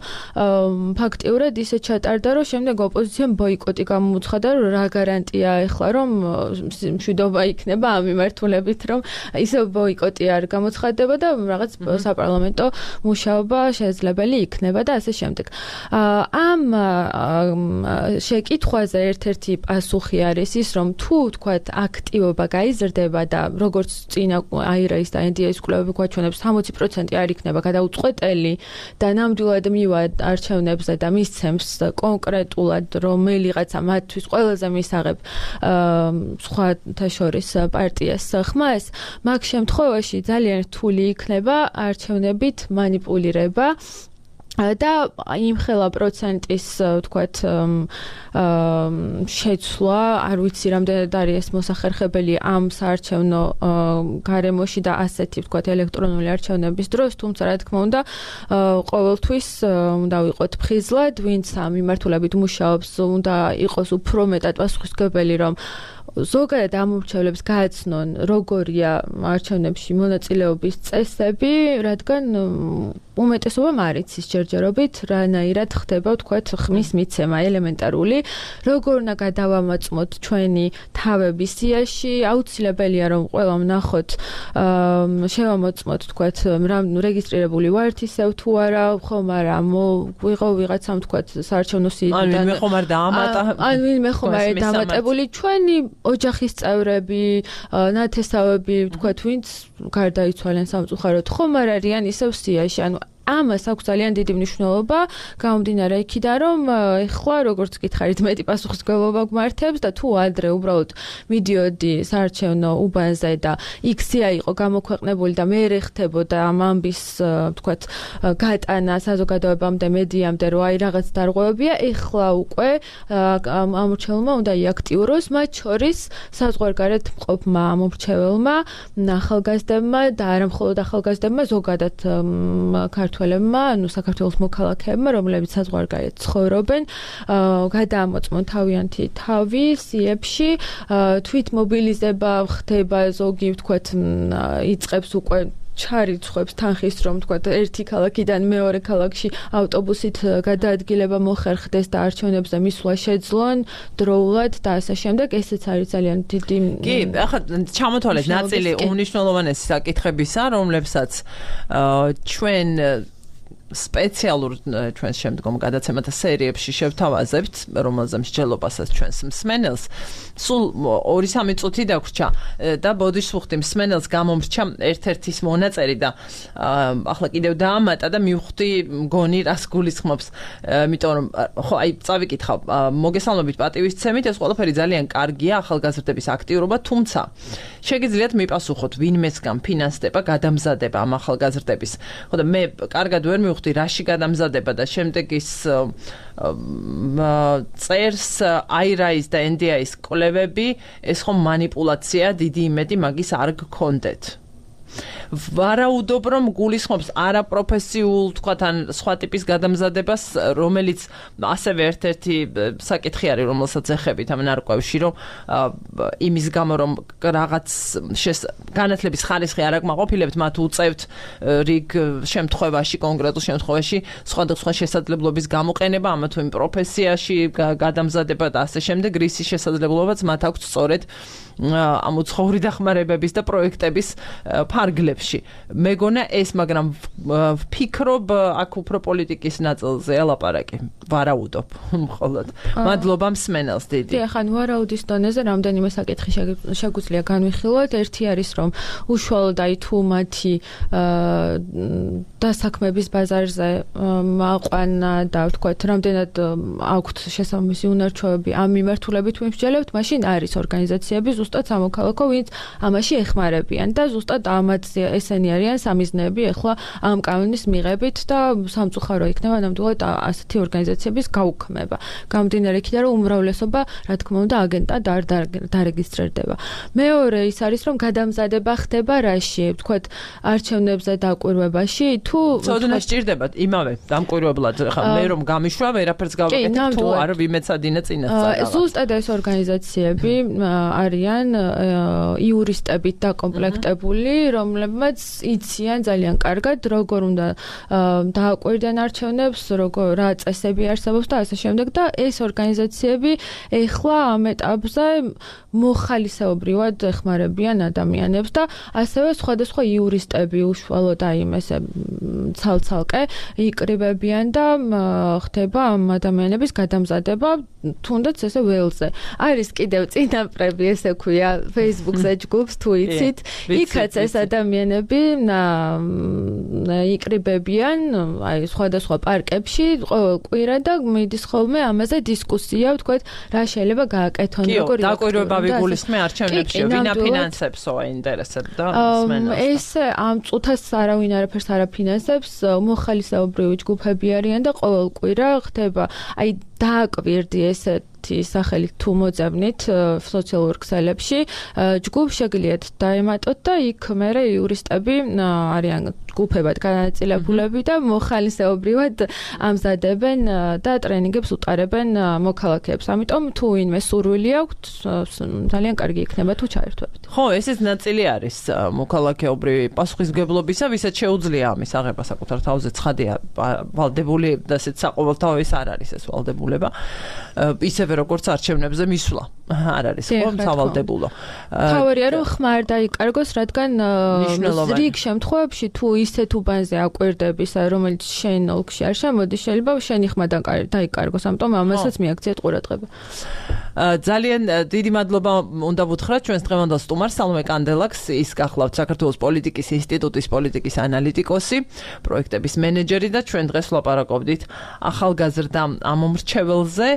Speaker 2: ფაქტიურად ისე ჩატარდა რომ შემდეგ ოპოზიციამ ბოიკოტი გამოუცხადა რომ რა გარანტია ეხლა რომ მშვიდობა იქნება ამ მიმართულებით რომ ისე ბოიკოტი არ გამოცხადდება და რაღაც საპარლამენტო მუშაობა შესაძლებელი იქნება და ასე შემდეგ. ამ შეკითხვაზე ერთ-ერთი პასუხი არის ის რომ თუ თქვათ აქტივობა გაიზრდება და როგორც წინა აირაის და ენდიაის კვლევები გვაჩვენებს სამოცი პროცენტი არ იქნება გადაუწყვეტელი და ნამდვილად მივა არჩევნებზე და მისცემს კონკრეტულად რომელიღაცა მათთვის ყველაზე მისაღებ სხვათა შორის პარტიას ხმას, მაგ შემთხვევაში ძალიან რთული იქნება არჩევნებით манипулირება და იმხელა პროცენტის თქვათ შეცვლა, არ ვიცი რამდენად არის ეს მოსახერხებელი ამ საარჩევნო გარემოში და ასეთი თქვათ ელექტრონული არჩევნების დროს, თუმცა რა თქმა უნდა ყოველთვის უნდა ვიყოთ ფხიზლად, ვინც ამ მიმართულებით მუშაობს, უნდა იყოს უფრო მეტად პასუხისმგებელი, რომ ზოგადად ამორჩევლებს გააცნონ როგორია არჩევნებში მონაწილეობის წესები, რადგან უმეტესობამ არ იცის ჯერჯერობით რანაირად ხდება თქვათ ხმის მიცემა ელემენტარული, როგორ უნდა გადავამოწმოთ ჩვენი თავები სიაში, აუცილებელია რომ ყველამ ნახოთ, შევამოწმოთ თქვათ რეგისტრირებული ვართ ისევ თუ არა, ხომ არა, ვიღო ვიღაცამ თქვათ საარჩევნო სიიდან
Speaker 1: ან ვინმე ხომ არ დაამატა,
Speaker 2: ან ვინმე ხომ არ დამატებული ჩვენი ოჯახის წევრები, ნათესავები, თქვათ, ვინც გარდაიცვალენ სამწუხაროდ, ხომ არ არიან ისევ სიაში, ანუ ამას აქვს ძალიან დიდი მნიშვნელობა გამომდინარე იქიდან, რომ ეხლა როგორც გითხარით, მეტი პასუხისმგებლობა გვმართებს და თუ ადრე უბრალოდ მიდიოდი საარჩევნო უბანზე და იქცია იყო გამოქვეყნებული და მე ხდებოდა ამ ამბის თქვათ გატანა საზოგადოებამდე, მედიამდე, რომ აი რაღაც დარღვევებია, ეხლა უკვე ამორჩეულმა უნდა იაქტიუროს, მათ შორის საზღვარგარეთ მყოფმა ამორჩეველმა, ახალგაზრდებმა და არა მხოლოდ ახალგაზრდებმა, ზოგადად ქართულ ანუ საქართველოს მოქალაქეებმა, რომლებიც საზღვარგარეთ ცხოვრობენ, გადაამოწმონ თავიანთი თავი სიებში, თვითმობილიზება ხდება, ზოგი ვთქვათ, იწყებს უკვე ჩარიცხვებს თანხის რომ თქვათ ერთი ქალაქიდან მეორე ქალაქში ავტობუსით გადაადგილება მოხერხდეს და არჩევნებზე მისვლა შეძლონ დროულად და ასე შემდეგ, ესეც არის ძალიან დიდი.
Speaker 1: კი, ახლა ჩამოთვალეთ ნაწილი უმნიშვნელოვანესი საკითხებისა, რომლებსაც ჩვენ სპეციალურ ჩვენს შემდგომ გადაცემათა სერიებში შევთავაზებთ, რომელზე მსჯელობასაც ჩვენს მსმენელს. სულ ორი სამი წუთი დაგვრჩა და ბოდიშს ვუხდი მსმენელს გამომრჩა ერთ-ერთის მონაწერი და ახლა კიდევ დაამატა და მივხვდი მგონი რას გულისხმობს, იმიტომ რომ ხო აი წავიკითხავ, მოგესალმებით პატივისცემით, ეს ყველაფერი ძალიან კარგია ახალგაზრდების აქტიურობა, თუმცა შეგიძლიათ მიპასუხოთ ვინმესგან ფინანსდება გადამზადება ამ ახალგაზრდების. ხო და მე კარგად ვერ მივხვდი რაში გადამზადება და შემდეგ ის წერს აირაის და ენდიაის კვლევები, ეს ხომ манипуляცია, დიდი იმედი მაგის არ გქონდეთ. ვარაუდობ რომ გულისხმობს არაპროფესიულ თქვათ ან სხვა ტიპის გადამზადებას, რომელიც ასევე ერთ-ერთი საკითხი არის, რომელსაც ეხებით ამ ნარკვევში, რომ იმის გამო რომ რაღაც განათლების ხარისხი არ აკმაყოფილებთ, მათ უწევთ რიგ შემთხვევაში, კონკრეტულ შემთხვევაში სხვადასხვა შესაძლებლობის გამოყენება, ამა თუ იმ პროფესიაში გადამზადება და ასე შემდეგ, რისი შესაძლებლობაც მათ აქვს სწორედ ამ უცხოური დახმარებების და პროექტების ფარგლებში. მეგონა ეს, მაგრამ ვფიქრობ აქ უფრო პოლიტიკის ნაწილზე ელაპარაკი. ვარაუდობ მხოლოდ. მადლობა მსმენელს დიდი.
Speaker 2: დიახ, ან ვარაუდის დონეზე რამდენიმე საკითხი შეგვიძლია განვიხილოთ. ერთი არის, რომ უშუალოდ აი თუ მათი დასაქმების ბაზარზე აყვანა და ვთქვათ, რამდენად აქვთ შესაბამისი უნარჩვევები ამ მიმართულებით ვიმსჯელებთ, მაშინ არის ორგანიზაციები ზუსტად სამოქალაქო, ვინც ამაში ეხმარებიან და ზუსტად ამაც ესენი არიან სამიზნეები ახლა ამ კანონის მიღებით და სამწუხარო იქნება ნამდვილად ასეთი ორგანიზაციების გაუქმება. გამომდინარე იქიდან, რომ უმრავლესობა, რა თქმა უნდა, აგენტად არ დარეგისტრირდება. მეორე ის არის, რომ გადამზადება ხდება რაში, ვთქვათ, არჩევნებზე დაკვირვებაში, თუ
Speaker 1: ცოდნა სჭირდებათ იმავე დამკვირვებლად, ხა მე რომ გამიშვა, ვერაფერს გავაკეთებ, თუ არ ვიმეცადინე წინასწარ.
Speaker 2: ზუსტად ეს ორგანიზაციები არიან იურისტებით დაკომპლექტებული, რომლებმაც იციან ძალიან კარგად როგორ უნდა დააკვირდნენ არჩევნებს, როგორ რა წესები არსებობს და ასე შემდეგ და ეს ორგანიზაციები ეხლა ამ ეტაპზე მოხალისეობრივად ეხმარებიან ადამიანებს და ასევე სხვადასხვა იურისტები უშუალოდ აი ესე ცალ-ცალკე იკრიბებიან და ხდება ამ ადამიანების გადამზადება თუნდაც ესე ველზე. არის კიდევ წინაპრები ესე ქვია Facebook-ზე ჯგუფს თუ იცით, იქაც ეს ადამიანები იკრიბებიან აი სხვადასხვა პარკებში ყოველ კვირა და მიდის ხოლმე ამაზე დისკუსია, ვთქვათ, რა შეიძლება გააკეთონ,
Speaker 1: როგორ იქნება. დაკვირვება ვიგულისხმე არჩევნებში, ვინ აფინანსებსო აინტერესებს და მსმენელს.
Speaker 2: ეს ამ წუთას არავინ არაფერს არ აფინანსებს, მოხალისეობრივი ჯგუფები არიან და ყოველ კვირა ხდება აი დააკვირდი ესეთი სახელით თუ მოძებნით სოციალურ ქსელებში ჯგუფ შეგიძლიათ დაემატოთ და იქ მერე იურისტები არიან ჯგუფებად განაწილებულები და მოხალისეობრივად ამზადებენ და ტრენინგებს უტარებენ მოქალაქეებს. ამიტომ თუ ვინმე სურვილი აქვთ, ძალიან კარგი იქნება თუ ჩაერთვებით.
Speaker 1: ხო, ესეც ნაწილი არის მოქალაქეობრივი პასუხისმგებლობისა, ვისაც შეუძლია ამის აღება საკუთარ თავზე ცხადია ვალდებული და ესეც საყოველთაო ეს არ არის ეს ვალდებულება. ისევე როგორც არჩევნებზე მისვლა არ არის ხო სავალდებულო.
Speaker 2: თავარია რომ ხმარ დაიკარგოს, რადგან რიგ შემთხვევებში თუ ისეთ უბანზე აკვირდების, რომელიც შენ ოლქში არ შემოდის, შეიძლება შენი ხმა დაიკარგოს, ამიტომ ამასაც მიაქციეთ ყურადღება.
Speaker 1: ძალიან დიდი მადლობა უნდა ვუთხრათ ჩვენს დღევანდელ სტუმარს სალომე კანდელაკს, ის გახლავთ საქართველოს პოლიტიკის ინსტიტუტის პოლიტიკის ანალიტიკოსი, პროექტების მენეჯერი და ჩვენ დღეს ვლაპარაკობდით ახალგაზრდა ამომრჩეველზე,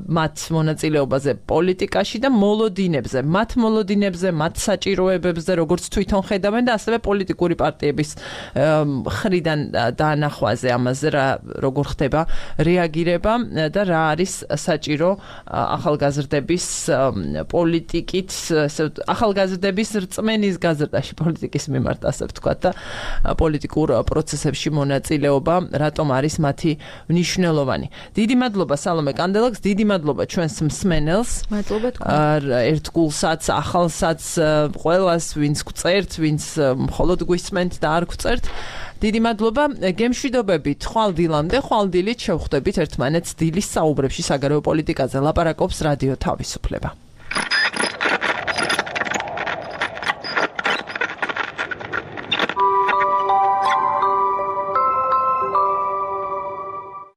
Speaker 1: მათ მონაწილეობაზე პოლიტიკაში და მოლოდინებზე, მათ მოლოდინებზე, მათ საჭიროებებზე, როგორც თვითონ ხედავენ და ასევე პოლიტიკური პარტიების მხრიდან დაანახვაზე ამაზე რა როგორ ხდება რეაგირება და რა არის საჭირო ახალგაზრდების პოლიტიკით, ახალგაზრდების რწმენის გაზრდაში პოლიტიკის მიმართ, ასე ვთქვათ და პოლიტიკურ პროცესებში მონაწილეობა რატომ არის მათი მნიშვნელოვანი. დიდი მადლობა სალომე კანდელაკს, დიდი მადლობა ჩვენს მსმენელს.
Speaker 2: მადლობა თქვენ.
Speaker 1: ერთგულსაც, ახალსაც, ყველას, ვინც გვწერთ, ვინც მხოლოდ გვისმენთ და არ გვწერთ. დიდი მადლობა. გემშვიდობებით ხვალ დილამდე, ხვალ დილით შევხვდებით ერთმანეთს დილის საუბრებში საგარეო პოლიტიკაზე. ლაპარაკობს რადიო თავისუფლება.